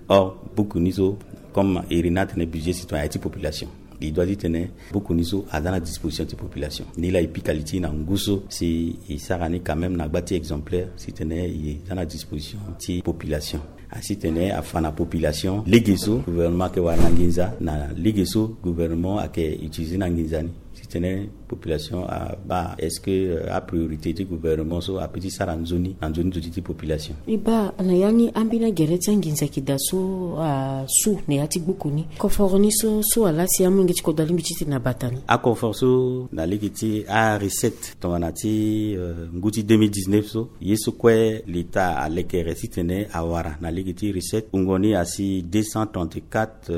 Or buku ni so, comme e iri ni atene budget citoyen aye ti population, e doit ti tene buku ni so aza na disposition ti population. Ni laa e pika li ti e na ngu so si e sara ni quand même na gba ti exemplaire si tene e za na disposition ti population. Asi tene afa na population lege so gouvernement ayeke wara na nginza, na lege so gouvernement ayeke utiliser na nginza ni. Si tene population abaa est-ce que apriorité ti gouvernement so ape ti sara nzoni na nzoni nduti ti population. E baa na ya ni ambeni agere ti anginza ayeke daa so asu na ya ti gbuku ni. Confort ni so so ala si amolenge ti kodro alingbi ti tene na bata ni. Aconfort so na lege ti arecette tongana ti ngu ti deux mille dix-neuf so, ye so kue l'Etat alekere titene awara na lege ti recette, wungo ni asi deux cent trente-quatre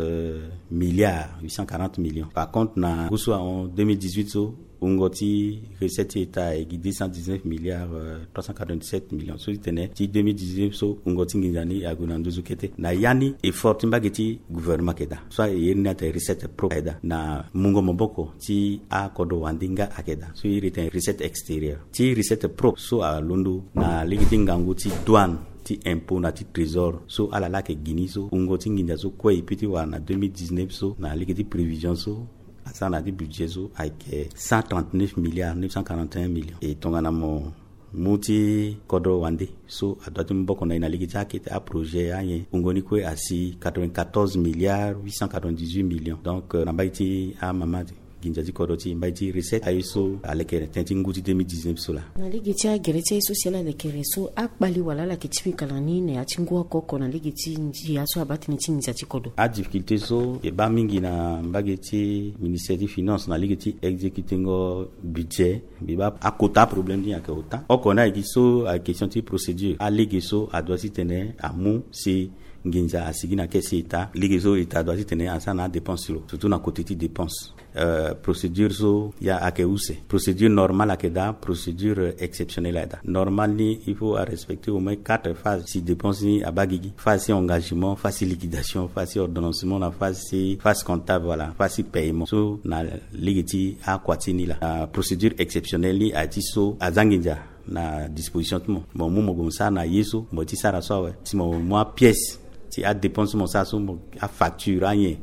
milliards huit cent quarante millions. Par contre na ngu so ahon deux mille dix-huit so, wungo ti recette ti État ayeke deux cent dix-neuf milliards trois cent quatre-vingt-dix-sept millions. So ti tene ti deux mille dix-neuf so wungo ti nginza ni ague na nduzu kete. Na ya ni effort ti mbage ti gouvernement ayeke daa. So aye ni atene recette propre ayeke daa na mungo maboko ti akodro wande nga ayeke daa. So iri tene recette extérieure. Ti recette propre so alondo na lege ti ngangu ti douane, ti impôt na ti trésor so ala laa ayeke gi ni so, wungo ti nginza so kue e peut ti wara na deux mille dix-neuf so na lege ti prévision so asara na ya ti budget so ayeke cent trente-neuf milliards neuf cent quarante et un millions. E tongana mo mu ti kodro wande so adoit ti mu boko na e na lege ti akete aprojet anyen, wungo ni kue asi quatre-vingt-quatorze milliards huit cent quatre-vingt-dix-huit millions. Donc na mbage ti amama nginza ti kodro ti e, mbage ti recette, aye so alekere tënë ti ngu ti deux mille dix-neuf so laa. Na lege ti agere ti aye so si ala lekere so, akpali wala ala yeke ti pika na ni na ya ti ngu oko oko na lege ti ndia so abaa tënë ti nginza ti kodro? Adifficulté so e baa mingi na mbage ti ministère ti finance na lege ti exécutengo budget, mbi baa akota aproblème ni ayeke ota. Oko ni ayeke so ayeke question ti procédure. Alege so adoit titene amu si nginza asigi na caisse ti État, lege so État adoit titene asara na adépense ti lo, surtout na côté ti dépense. Euh, procédure so ya ayeke use. Procédure normale ayeke daa, procédure exceptionnelle ayeke daa. Normale ni il faut arespecter au moins quatre phases si dépense ni abaa gigi. Phase ti engagement, phase ti liquidation, phase ti ordonnancement, na phase ti phase comptable, voilà, phase ti paiement. So na lege ti akua ti ni laa. Euh, procédure exceptionnelle ni aye ti so aza nginza na disposition ti mo, mo mu mo gue mo sara na ye so mo ye ti sara so awe. Si mo mu apièce ti adépense ti mo sara so, mo afacture anyen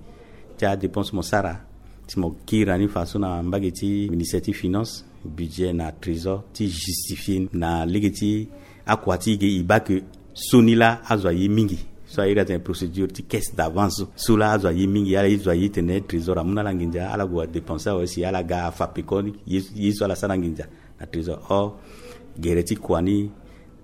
ti adépense mo sara, si mo kiri na ni fa so na mbage ti ministère ti finance, budget na trésor ti justifier ni na lege ti akua ti e ge, e baa ke so ni laa azo aye mingi. So a iri atene procédure ti caisse d'avance so, so laa azo aye mingi, ala ye zo aye tene trésor amu na ala nginza, ala gue adépense awe si ala ga afa peko ni ye, ye so ala sara nginza na trésor. Or gere ti kua ni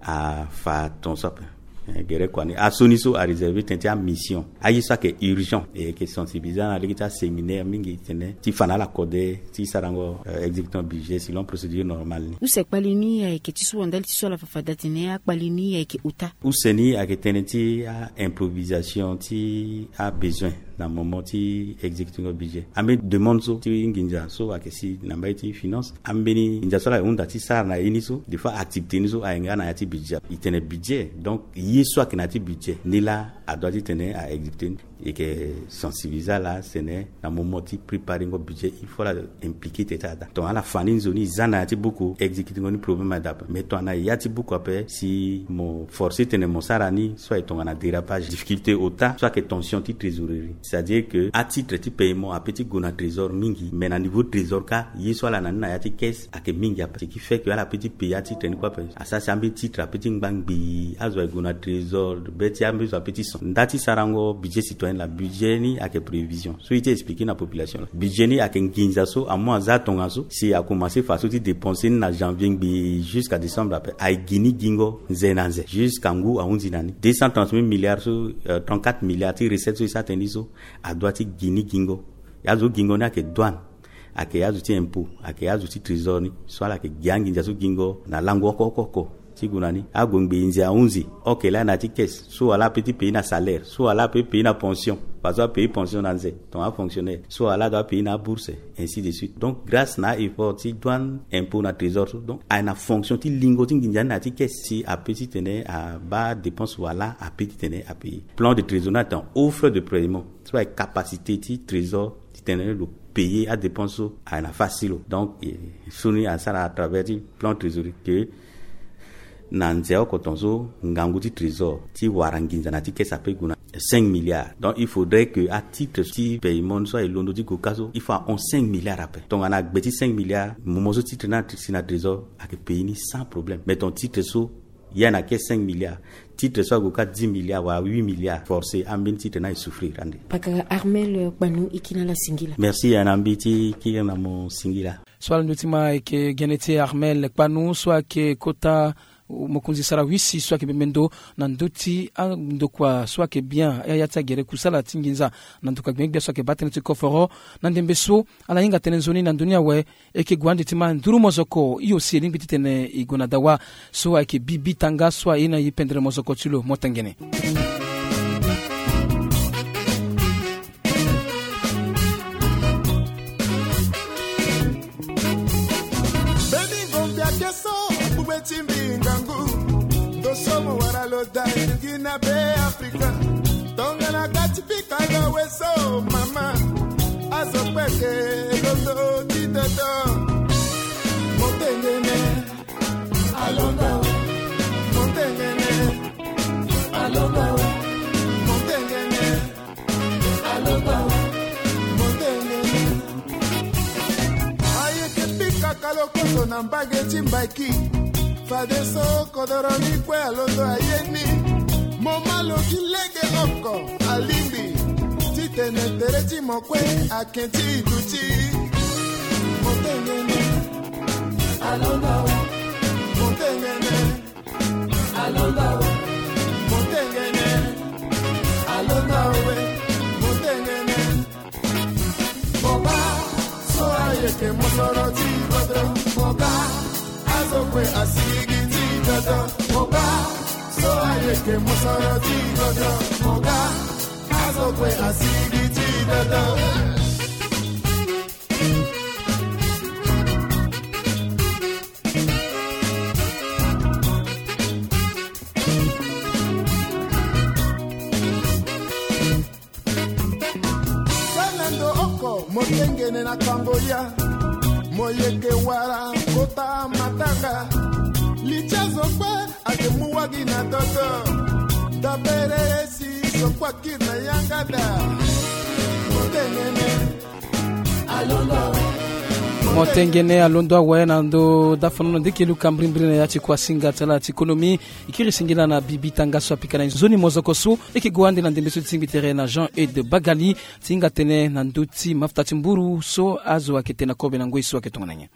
afa tongaso ape. Eh, gere kua ni, aso ni so aréserver tënë ti amission. Aye so ayeke urgent, e yeke sensibiliser na lege ti aséminaire mingi tene ti fa na ala kode ti sarango, euh, exécutant budget selon procédure normale ni. Use kpali ni ayeke ti so wa ndali ti so ala fa fade atene akpali ni ayeke ota. Use ni ayeke tënë ti a-improvisation ti abesoin na moment ti exécuting budget. Ambeni demande so ti nginza so ayeke si na mbage ti finance, ambeni nginza so ala hunda ti sara na ye ni so, des fois activité ni so aye nga na ya ti budget. E tene budget, donc ye so ayeke na ya ti budget ni laa adoit titene a-exécuter ni. E yeke sensibiliser ala tene na moment ti préparengo budget, il faut ala impliquer tene ti ada. Tongana ala fa ni nzoni, e za na ya ti buku, exécutengo ni problème aye daa ape. Mais tongana na ya ti buku ape, si mo forcer tene mo sara ni, so aye tongana dérapage, difficulté ota, so ayeke tension ti trésorerie. C'est-à-dire que atitre ti paiement ape ti gue na trésor mingi, mais na niveau trésor kâ, ye so ala na ni na ya ti caisse ayeke mingi ape. Ce qui fait que ala peut ti payer atitre ni kue ape. Asara si ambeni titre ape ti ngba ngbii, azo aye gue na trésor, be ti ambeni zo ape ti son. Nda ti sarango budget citoyen laa, budget ni ayeke prévision. So ye ti expliquer na population laa, budget ni ayeke nginza so amu aza tongaso, si akomanse fa so ti dépenser ni na janvier ngbii jusqu'à décembre ape, aye gi ni gingo nze na nze jusqu'à ngu ahunzi na ni. Deux cent trente mille milliards so, euh, trente-quatre milliards ti recette so e sara tënë ni so, adoit ti gi ni gingo. Azo gingo ni ayeke douane, ayeke azo ti impôt, ayeke azo ti trésor ni, so ala yeke gi anginza so gingo na lango oko oko oko. Ti gue na ni, ague ngbii nze ahunzi, oke laa na ya ti caisse, so ala ape ti payer na salaire, so ala ape ti payer na pension, parce que apayer pension na nze, tongana afonctionnaire, so ala doit payer na abourse, ainsi de suite. Donc grâce na a-effort ti douane, impôt na trésor so, donc aye na fonction ti lingo ti nginza ni na ya ti caisse, si ape titene abaa dépense wala ape titene apayer. Plan de trésorerie atene offre de paiement, so aye capacité ti trésor titene lo payer adépense so aye na face ti lo. Donc e, so ni asara à travers ti plan trésorerie que na nze oko tongaso ngangu ti trésor ti wara nginza na ya ti caisse ape gue na cinq milliards. Donc il faudrait que atitre ti paiement so aye londo ti gue kâ so, il faut ahon cinq milliards ape. Tongana agbe ti cinq milliards, moment so titre ni asi na trésor, ayeke payer ni sans problème. Mais ton titre so Ya na ke cinq milliards, titre so ague kâ dix milliards wala huit milliards, forcé ambeni titre ni aye souffrir ande. Pakara Armel Kpanou, e kiri na ala singila. Merci, ya na mbi ti kiri na mo singila. So ala ndö ti ma ayeke gene ti Armel Kpanou so ayeke kota mokonzi sara wisi so ayeke bembe ndo na ndö ti andokua so ayeke bien ya ya ti agere kusala ti nginza na ndokua gbengbe gbia so ayeke baa tënë ti koforo. Na ndembe so ala hinga tënë nzoni na ndö ni awe, e yeke gue ande ti ma nduru mozoko hio si e lingbi titene e gue na dawa. So ayeke Bibi Tanga so aye na e pendere mozoko ti lo motengene. Mbeni ngombe ake so akpugbe ti mbi ngangu. Ndo so mo wara lo da e gi na be Afrika. Tongana ga ti pika lo awe so mama. Azo kpeke londo ti toto. Motengene. Alonga we. Motengene. Alonga we. Motengene. Alonga we. Motengene. Ayeke pika kalokoso na mbage ti mbaki. Fadeso kodoro ni kue alondo aye ni. Mo ma lo gi lege oko alingbi. Titene tere ti mo kue ake ti duti. Motengene. Alonga we. Motengene. Alonga we. Motengene. Alonga we. Motengene. Mo baa so ayeke mosoro ti godro. Mo baa azo kue asigi ti dodo. Mo baa so ayeke mosoro ti godro. Mo baa azo kue asigi ti dodo. Sala ndo oko motengene na kango ya. Mo yeke wara kota matanga. Li ti azo kue ake mu wagi na toto. Tabere si zo kue akiri na yanga da. Motengene. Motengene alondo awe na ndo dafono na ndiki luka mbirimbiri na ya ti kuasinga ti ala ti konomi. E kiri singila na Bibi Tanga so apika na e nzoni mozoko so. E yeke gue ande na ndembe so ti tingbi tere na Jean Eude Bagali ti hinga tënë na ndö ti mafuta ti mburu so azo ayeke tene na kobe na ngoi so ayeke tongana nyen.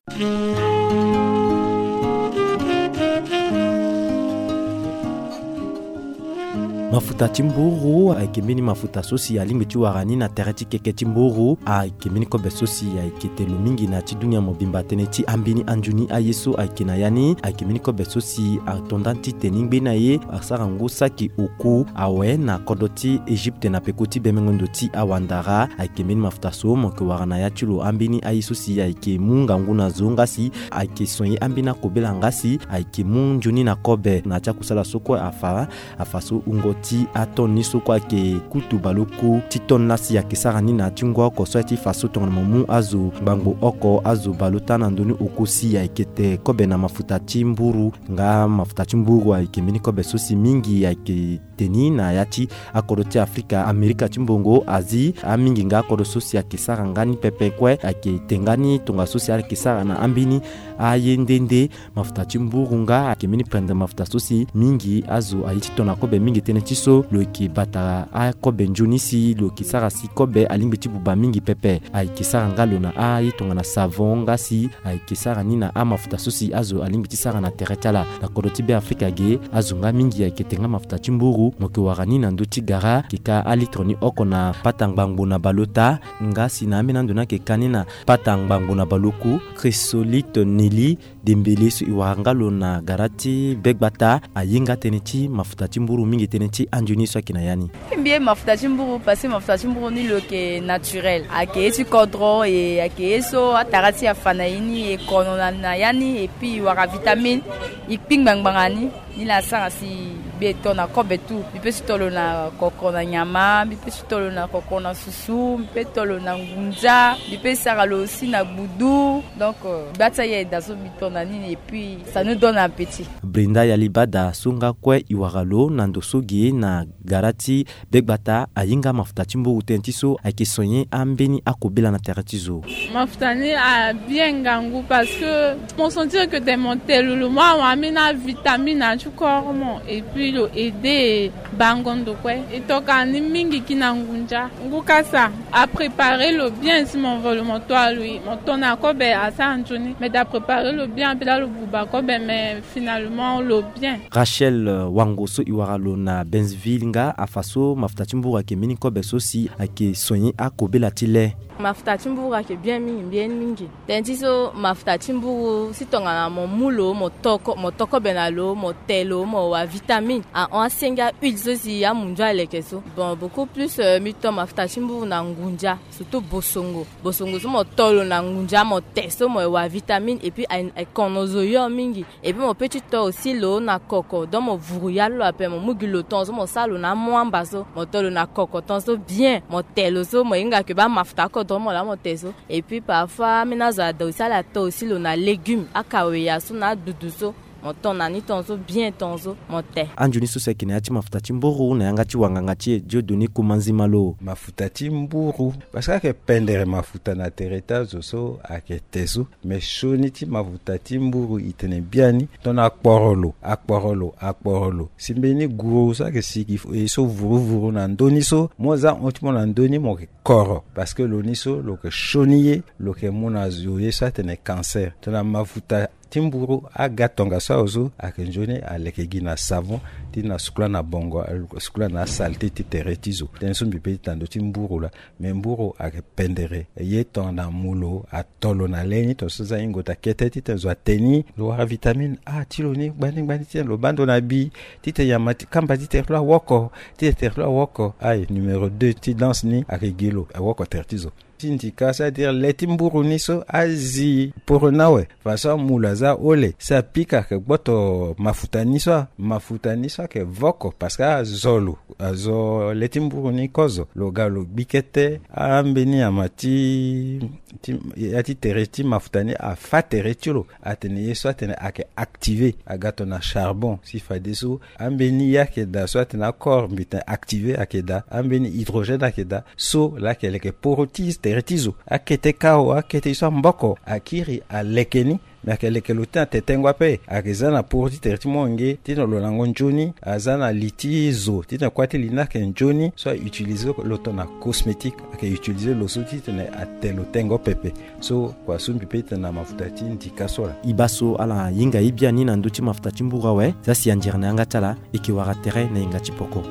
Mafuta ti mburu ayeke mbeni mafuta so si alingbi ti wara ni na tere ti keke ti mburu. Ayeke mbeni kobe so si ayeke te lo mingi na ya ti dunia mobimba tënë ti ambeni anzoni aye so ayeke na ya ni. Ayeke mbeni kobe so si ato nda ti tene ngbeni aye asara ngu saki oku awe na kodro ti Egypte na peko ti bemengo ndo ti awandara. Ayeke mbeni mafuta so mo yeke wara na ya ti lo ambeni aye so si ayeke mu ngangu na zo nga si ayeke soigner ambeni akobela nga si ayeke mu nzoni na kobe na ya ti akusala so kue afa. Afa so wungo ti atone ni so kue ayeke kutu baleoku ti tone laa si ayeke sara ni na ya ti ngu oko so aye ti fa so tongana mo mu azo ngbangbo oko azo baleota na ndö ni oku si ayeke te kobe na mafuta ti mburu. Nga mafuta ti mburu ayeke mbeni kobe so si mingi ayeke te ni na ya ti akodro ti Afrika, Amerika ti mbongo, Asie, amingi nga akodro so si ayeke sara nga ni pepe kue ayeke te nga ni tongaso si ala yeke sara na ambeni aye nde nde. Mafuta ti mburu nga ayeke mbeni pendre mafuta so si mingi azo aye ti to na kobe mingi tënë ti so lo yeke bata akobe nzoni si lo yeke sara si kobe alingbi ti buba mingi pepe. Ayeke sara nga lo na aye tongana savon nga si ayeke sara ni na amafuta so si azo alingbi ti sara na tere ti ala. Na kodro ti Beafrika ge azo nga mingi ayeke te nga mafuta ti mburu. Mo yeke wara ni na ndö ti gara ayeke ka alitre ni oko na pata ngbangbo na baleota nga si na ambeni ando ni ayeke ka ni na pata ngbangbo na baleoku. Chrysolite Nelly Dembele so e wara nga lo na gara ti Begbata aye nga tënë ti mafuta ti mburu mingi tënë ti anzoni so ayeke na ya ni. Mbi ye mafuta ti mburu parce que mafuta ti mburu ni lo yeke naturel, ayeke ye ti kodro e ayeke ye so atara ti e afa na e ni e kono na, na ya ni, et puis e wara vitamine, e kpi ngbangba na ni. Ni laa asara si Mbi e to na kobe tu. Mbi pe si to lo na koko na nyama, mbi pe si to lo na koko na susu, mbi pe to lo na ngunza, mbi pe sara lo si na gbudu. Donc gba ti aye da so mbi to na nini, et puis ça nous donne appétit. Brenda Yalibada so nga kue e wara lo na ndo so ge na gara ti be gbata ahinga mafuta ti mburu tënë ti so ayeke sonye ambeni akobela na tere ti zo. Mafuta ni abien ngangu parce que mo sentir que tene mo telu lo mo awa ambeni avitamine na ti corps mo, et puis lo aider bango ndo kue. E toka ni mingi ki na ngunza. Ngu kasa aprépare lo bien si mo vo lo mo to alui mo to na kobe asara nzoni, mais da prépare lo bien ape da lo buba kobe, mais finalement lo bien. Rachel Wango so e wara lo na Benville nga afa so mafuta ti mburu ayeke mbeni kobe so si ayeke sonye akobela ti le. Mafuta ti mburu ayeke bien mingi, bien mingi. Tënë ti so mafuta ti mburu si tongana mo mu lo mo to ko- mo to kobe na lo mo te lo mo wa vitamine ahon asenge ahuile so si amunzu aleke so. Bon, beaucoup plus mbi to mafuta ti mburu na ngunza, surtout bosongo. Bosongo so mo to lo na ngunza mo te so mo wa vitamine, et puis akono zo yo mingi. Et puis mo pe ti to aussi lo na koko, donc mo vuru ya lo ape mo mu gi lo ton so mo sara lo na amwamba so mo to lo na koko ton so bien mo te lo so mo hinga ke ba mafuta oko ton mo la mo te so. Et puis parfois ambeni azo ada aussi ala to aussi lo na légume akaweya so na adudu so mo to na ni ton so bien ton so mo te. Anzoni so si ayeke na ya ti mafuta ti mburu na yanga ti wanganga ti e Dieudonné Kumanzima lo. Mafuta ti mburu parce que ayeke pendere mafuta na tere ti azo so ayeke te so. Mais sioni ti mafuta ti mburu e tene biani tongana akporo lo akporo lo akporo lo si mbeni guru so ayeke sigi e so vuruvuru na ndö ni so mo za hon ti mo na ndö ni mo yeke koro parce que lo ni so lo yeke sioni ye lo yeke mu na zo ye so atene cancer. Tongana mafuta ti mburu aga tongaso awe so ayeke nzoni aleke gi na savon ti na sukula na bongo sukula na asalte ti tere ti zo. Tënë so mbi pe ti na ndö ti mburu laa. Me mburu ayeke pendere ye tongana mu lo ato lo na le ni tongaso za hingo ta kete titene zo ate ni lo wara vitamine a ti lo ni gbani gbani titene lo baa ndo na bi titene nyama ti kamba ti tere ti lo awoko titene tere ti lo awoko. Aye numéro deux ti danse ni ayeke gi lo awoko tere ti zo. Ti ndika c'est-à-dire le ti mburu ni so azi poro ni awe. Faso amu lo aza ole si apika ayeke gboto mafuta ni so. Mafuta ni so ayeke voko parce que azo lo azo le ti mburu ni kozo lo ga lo gbi kete ambeni nyama ti ti ya ti tere ti mafuta ni afa tere ti lo. Atene ye so atene ayeke activé aga tongana charbon si fadeso ambeni ye ayeke daa so atene akor mbi tene activé ayeke daa ambeni hydrogène ayeke daa so laa ayeke leke poro ti tere ti zo. Akete kao akete ye so amboko akiri aleke ni. Me ayeke leke lo ti na tetengo ape ayeke za na poro ti tere ti molenge ti na lo lango nzoni aza na li ti zo titene kuâ ti li ni ayeke nzoni so a utiliser lo tongana cosmétique ayeke utiliser lo so titene ate lo tengo pepe. So kua so mbi pe tene na mafuta ti ndika so laa. E baa so ala hinga e biani na ndö ti mafuta ti mburu awe za si anzere na yanga ti ala e yeke wara tere na hinga ti poko.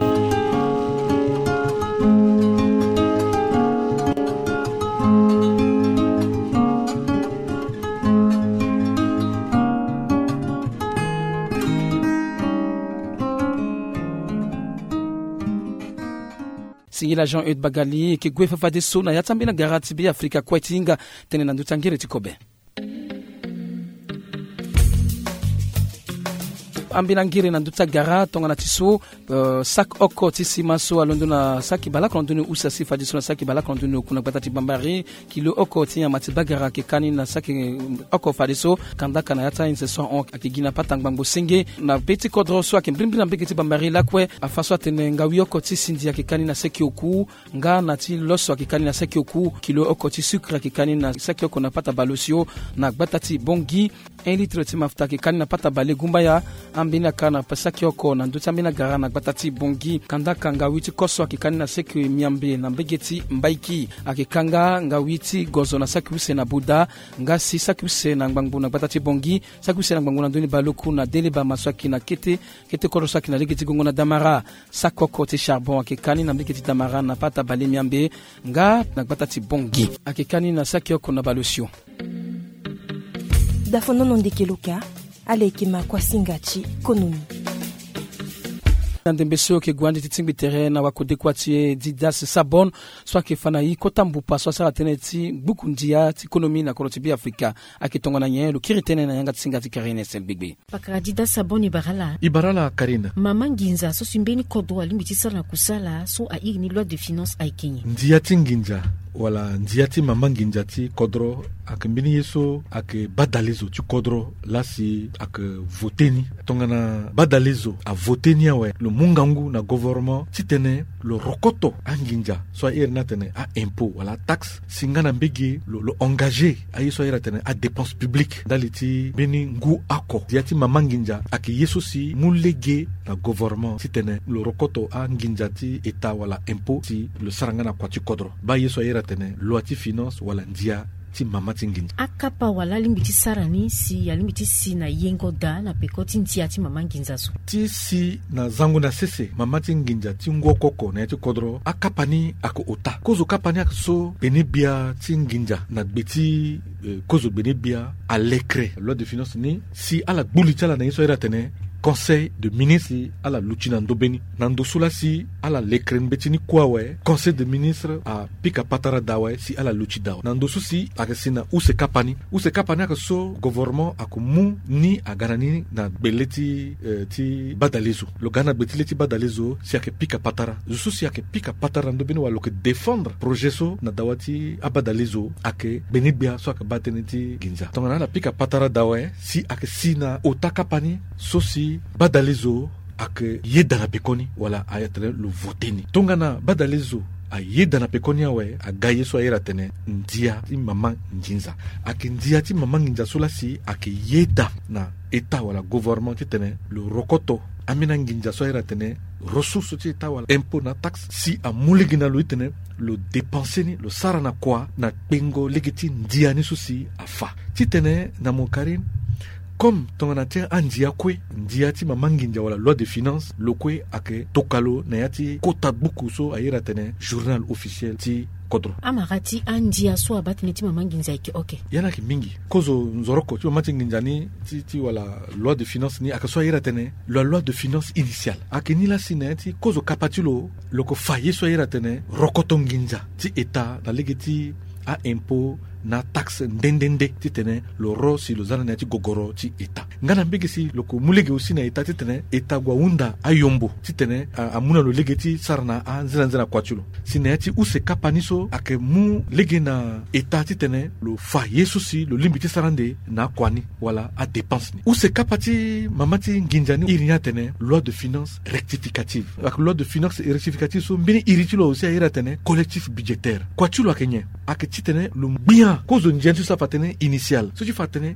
Singila Jean Eude Bagali e yeke gue fafadeso na ya ti ambeni agara ti Beafrika kue ti hinga tënë na ndö ti angere ti kobe. Ambeni angere na ndö ti agara tongana ti so saki oko ti sima so alondo na saki baleoko na ndö ni use asi fadeso na saki baleoko na ndö ni oku na gbata ti Bambari. Kilo oko ti nyama ti bagara ayeke ka ni na saki oko fadeso kandaka na ya ti ahinze so ahon ayeke gi na pata ngbangbo senge na be ti kodro so ayeke mbirimbiri na mbege ti Bambari lakue. Afa so atene ngawi oko ti sindi ayeke ka ni na saki oku nga na ti loso ayeke ka ni na saki oku. Kilo oko ti sucre ayeke ka ni na saki oko na pata baleosio na gbata ti Bongi. Un litre ti mafuta ayeke ka ni na pata balegumbaya. Ambeni aka na saki oko na ndö ti ambeni agara na gbata ti Bongi. Kandaka ngawi ti koso ayeke ka ni na saki miambe na mbege ti Mbaiki. Ayeke ka nga ngawi ti gozo na saki use na Buda. Nga si saki use na ngbangbo na gbata ti Bongi, saki use na ngbangbo na ndö ni baleoku na Delebama so ayeke na kete kete kodro so ayeke na lege ti gongo na Damara. Saki oko ti charbon ayeke ka ni na mbege ti Damara na pata bale miambe nga na gbata ti Bongi. Ayeke ka ni na saki oko na baleosio. Dafonono ndeke lo ka. Ala yeke ma kuasinga ti konomi. Na ndembe so ayeke gue ande ti tingbi tere na wakode kuâ ti e Didas Sabon, so ayeke fa na e kota mbupa so asara tënë ti gbuku ndia ti konomi na kodro ti Beafrika. Ayeke tongana nyen? Lo kiri tënë na yanga ti singa ti Karine Estel Gbegbe. Pakara Didas Sabon, e bara ala. E bara ala Karine. Mama nginza so si mbeni kodro alingbi ti sara na kusala so a iri ni loi de finance ayeke nyen? Ndia ti nginza wala ndia ti mama nginza ti kodro ayeke mbeni ye so ayeke badalezo ti kodro laa si ayeke vote ni. Tongana badalezo avote ni awe, lo mu ngangu na gouvernement titene lo rokoto anginza so a iri ni atene a-impôt wala ataxe, si nga na mbege lo, lo engagé aye so a iri atene adépense publique ndali ti mbeni ngu oko. Ndia ti mama nginza ayeke ye so si mu lege na gouvernement titene lo rokoto anginza ti état wala impôt si lo sara nga na kua ti kodro. Baa ye so a iri atene loi ti finance wala ndia ti mama ti nginza. Akapa wala alingbi ti sara ni si alingbi ti si na yengo daa na peko ti ndia ti mama nginza so? Ti si na zango na sese mama ti nginza ti ngu oko oko na ya ti kodro, akapa ni ayeke ota. Kozo kapa ni ayeke so gbenegbia ti nginza na gbe ti, eh, kozo gbenegbia alekre loi de finance ni si ala gbu li ti ala na ye so a iri atene Conseil de ministre, si ala luti na ndö be ni. Na ndo so laa si ala lekre mbeti ni kue awe, Conseil de ministre apika patara daa awe si ala luti daa awe. Na ndo so si ayeke si na use kapa ni. Use kapa ni ayeke so gouvernement ayeke mu ni aga na ni na gbe le ti, eh, ti badalezo. Lo ga na gbe ti le ti badalezo si ayeke pika patara. Zo so si ayeke pika patara na ndö be ni wala lo yeke défendre projet so na dawa ti abadalezo ayeke gbenegbia so ayeke baa tënë ti nginza. Tongana ala pika patara daa awe, si ayeke si na ota kapa ni so si badalezo ayeke yeda na pekoni wala a iri atene lo vote ni. Tongana badalezo ayeda na pekoni awe, aga ye so a iri atene ndia ti mama nginza. Ayeke ndia ti mama nginza so laa si ayeke yeda na état wala gouvernement titene lo rokoto ambeni anginza so a iri atene ressource ti état wala impôt na taxe, si amu lege na lo titene lo dépenser ni, lo sara na kua na kpengo lege ti ndia ni so si afa. Titene na mo Karine, comme tongana ti andia kue, ndia ti mama nginza wala loi de finance, lo kue ayeke toka lo na ya ti kota buku so a iri atene journal officiel ti kodro. Amara ti andia so abaa tënë ti mama nginza ayeke oke? Ya ni ayeke mingi. Kozo nzoroko ti mama ti nginza ni, ti, ti wala loi de finance ni ayeke so a iri atene la loi de finance initiale. Ayeke ni laa si na ya ti kozo kapa ti lo, lo yeke fa ye so a iri atene rokoto nginza ti état na lege ti a-impôt na taxe nde nde nde titene lo ro si lo za na ni na ya ti gogoro ti état. Nga na mbege si lo yeke mu lege aussi na état titene état gue ahunda ayombo titene a, amu na lo lege ti sara na anzenanzena kua ti lo. Si na ya ti use kapa ni so ayeke mu lege na état titene lo fa ye so si lo lingbi ti sara ande na akua ni wala adépense ni. Use kapa ti mama ti nginza ni iri ni atene loi de finance rectificative. Ayeke loi de finance rectificative so mbeni iri ti lo aussi a iri atene collectif budgétaire. Kua ti lo ayeke nyen? Ayeke titene lo gbia kozo ndia ni so ti fa tënë initiale, so ti fa tënë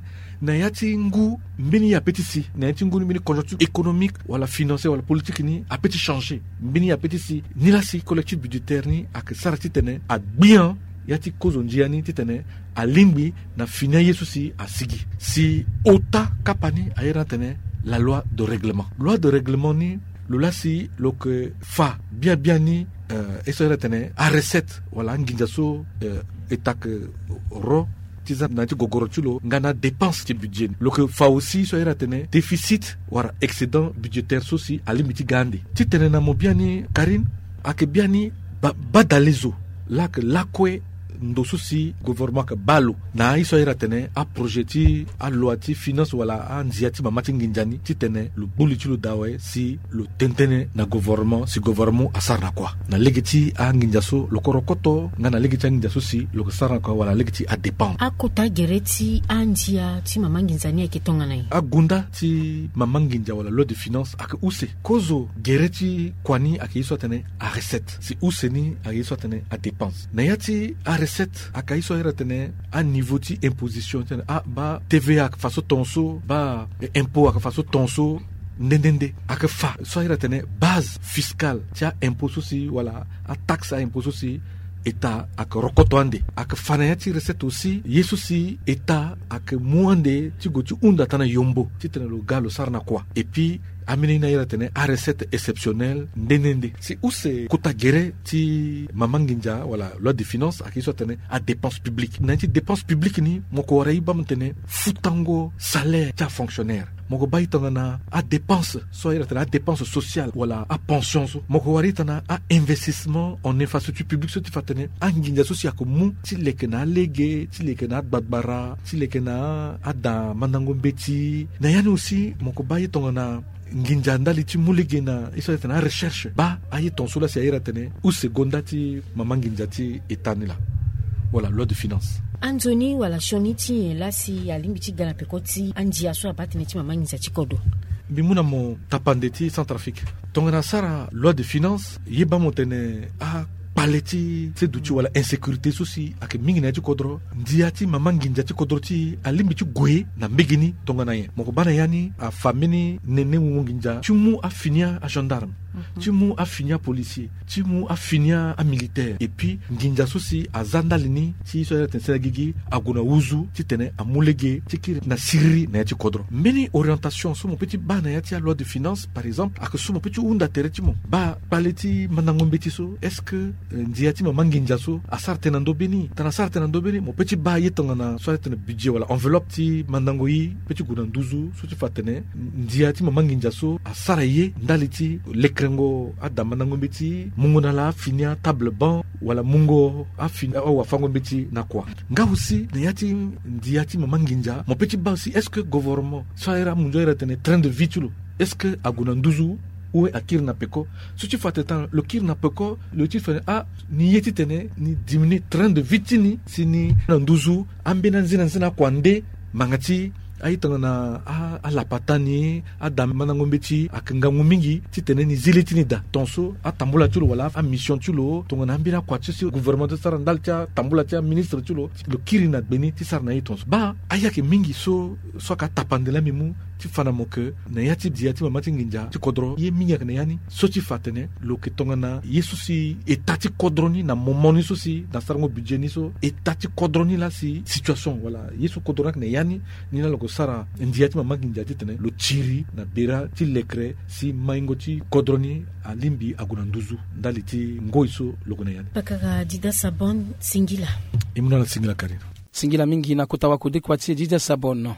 na ya ti ngu mbeni ye ape ti si, na ya ti ngu ni mbeni conjoncture économique wala financière wala politique ni ape ti changer, mbeni ye ape ti si. Ni laa si collectif budgétaire ni ayeke sara titene agbia ya ti kozo ndia ni titene alingbi na fini aye so si asigi. Si ota kapa ni a iri ni atene la loi de règlement. Loi de règlement ni, lo laa si lo yeke fa biani biani, eh, ye so a iri atene arecette wala anginza so, eh, état ayeke ro ti za na ya ti gogoro ti lo nga na adépense ti budget ni. Lo yeke fa aussi so a iri atene déficit wala excédent budgétaire so si alingbi ti ga ande. Titene na mo biani Karine, ayeke biani ba, badalezo laa ayeke lakue ndo so si gouvernement ayeke baa lo na aye so a iri atene aprojet ti aloi ti finance wala andia ti mama ti nginza ni titene lo gbu li ti lo daa awe si lo tene tënë na gouvernement si gouvernement asara na kua na lege ti anginza so lo yeke rokoto nga na lege ti anginza so si lo yeke sara na kua wala lege ti adépendre. Akota gere ti andia ti mama nginza ni ayeke tongana nyen? Agunda ti mama nginza wala loi de finance ayeke use. Kozo gere ti kua ni ayeke ye so atene arecette, si use ni ayeke ye so atene adépense. Na ya ti arecette ayeke ye so a iri atene aniveau ti imposition, titene ah, baa T V A ayeke fa so ton so, baa, eh, impôt ayeke fa so ton so, nde nde nde. Ayeke fa so a iri atene base fiscale ti a-impôt so si wala ataxe a-impôt so si état ayeke rokoto ande. Ayeke fa na ya ti recette aussi ye so si état ayeke mu ande ti gue ti hunda tana yombo titene lo ga lo sara na kua. Et puis ambeni ye ni a iri atene arecette exceptionnelle nde nde nde. Si use kota gere ti mama nginza wala loi de finance ayeke ye so atene adépense publique. Na ya ti dépense publique ni mo yeke wara e baa mo tene futango salaire ti afonctionnaire. Mo ko baa e tongana adépense so ayeke tene adépense sociale wala apension so. Mo ko wara e tongana ainvestissement en infrastructure publique so ti fa tene anginza so si ayeke mu ti leke na alege, ti leke na agbagbara, ti leke na ada mandango mbeti. Na ya ni aussi mo ko baa e tongana nginza ndali ti mu lege na ye so ayeke tene arecherche. Baa aye ton so laa si ayeke tene use gonda ti mama nginza ti état ni laa. Wala loi de finance. Anzoni wala sioni ti nyen laa si alingbi ti ga na peko ti andia so abaa tënë ti mama nginza ti kodro? Mbi mu na mo tapande ti Centrafrique. Tongana asara loi de finance, ye baa mo tene akpale ti seduti wala insécurité so si ayeke mingi na ya ti kodro, ndia ti mama nginza ti kodro ti e alingbi ti gue na mbege ni tongana nyen? Mo ko baa na ya ni afa mbeni nene wungo nginza ti mu afini agendarme, ti mu afini apolicier, ti mu afini amilitaire. Et puis nginza so si aza ndali ni ti so ayeke tene sene gigi ague na nduzu titene amu lege ti kiri na siriri na ya ti kodro. Mbeni orientation so mo peut ti baa na ya ti aloi de finance, par exemple, ayeke so mo peut ti hunda tere ti mo. Baa kpale ti mandango mbeti so, est-ce que, euh, ndia ti mama nginza so asara tënë na ndö be ni? Tongana asara tënë na ndö be ni, mo peut ti baa ye tongana so ayeke tene budget wala enveloppe ti mandango ye peut ti gue na nduzu so ti fa tene ndia ti mama nginza so asara ye ndali ti lekerengo ada mandango mbeti, mungo na ala afini atable banc wala mungo afini awafango mbeti na kua. Nga aussi na ya ti ndia ti mama nginza, mo peut ti baa aussi, est-ce que gouvernement so ayeke amu nzoni ayeke tene train de vie ti lo, est-ce que ague na nduzu ou akiri na peko? So ti fa tene tongana lo kiri na peko, lo ti fa tene ah, ni ye titene ni diminuer train de vie ti ni si ni na nduzu ambeni anzena nzena akua nde. Manga ti aye tongana a, alapata ni, ada mandango mbeti ayeke ngangu mingi titene ni zi li ti ni daa. Ton so atambula ti lo wala amission ti lo, tongana ambeni akua ti so gouvernement ti sara ndali ti atambula ti aministre ti lo, lo kiri na gbe ni ti sara na ye ton so. Baa aye ayeke mingi so, so ayeke atapande laa mbi mu ti fa na mo ke na ya ti ndia ti mama ti nginza ti kodro, ye mingi ayeke na ya ni. So ti fa atene lo yeke tongana ye so si état ti kodro ni na moment ni so si na sarango budget ni so, état ti kodro ni laa si situation wala ye so kodro ni ayeke na ya ni, ni laa lo yeke sara ndia ti mama nginza titene lo tiri na bira ti lekere si maingo ti kodro ni alingbi ague na nduzu ndali ti ngoi so lo yeke na ya ni. Pakara Dida Sabon, singila. E mu na ala singila Karine. Singila mingi na kota wakodikua ti e Dida Sabon.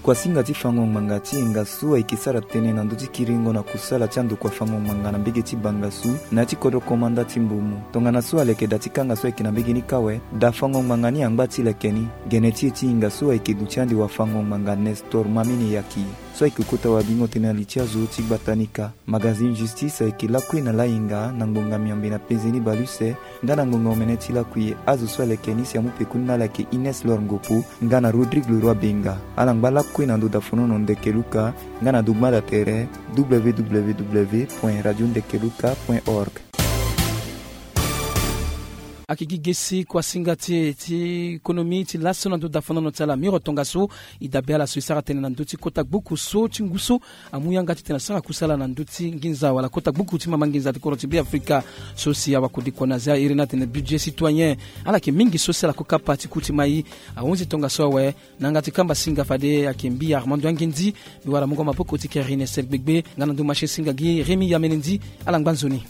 Kuasinga ti fango ngbanga ti hinga so ayeke sara tënë na ndö ti kiringo na kusala ti andokua fango ngbanga na mbege ti Bangassou na ya ti kodro komanda ti Mbomou. Tongana so aleke da ti kanga so ayeke na mbege ni kâ awe, da fango ngbanga ni angba ti leke ni. Gene ti e ti hinga so ayeke duti ande wafango ngbanga Nestor Mamene Yaki, so ayeke kota wabingo tënë na li ti azo ti gbata ni kâ. Magazine Justice ayeke lakue na lahinga na ngbonga miombe na penze ni bale use, nga na ngbonga omene ti lakue azo so aleke ni si amu pekoni na ala yeke Ines Lor Ngopo nga na Rodrigue Leroy Benga. Ala ngba lakue na ndo dafonono Ndeke Luka nga na ndo gbanda tere w w w point radio ndeke luka point org. Ayeke gi gesi kuasinga ti e ti konomi ti laso na ndö dafonono ti ala Miro Tongaso. E dabe ala so e sara tënë na ndö ti kota gbuku so ti ngu so amu yanga titene asara kusala na ndö ti nginza wala kota gbuku ti mama nginza ti kodro ti Beafrika. So si awakodikua na azia iri ni atene budget citoyen. Ala yeke mingi so si ala kue kapa ti ku ti mai. Ahunzi tongaso awe na yanga ti kamba singa fade ayeke mbi Armando Angendi. Mbi wara mungo maboko ti Karine Sel Gbegbe nga na ndö machine singa gi Rémi Yamenendi. Ala ngba nzoni.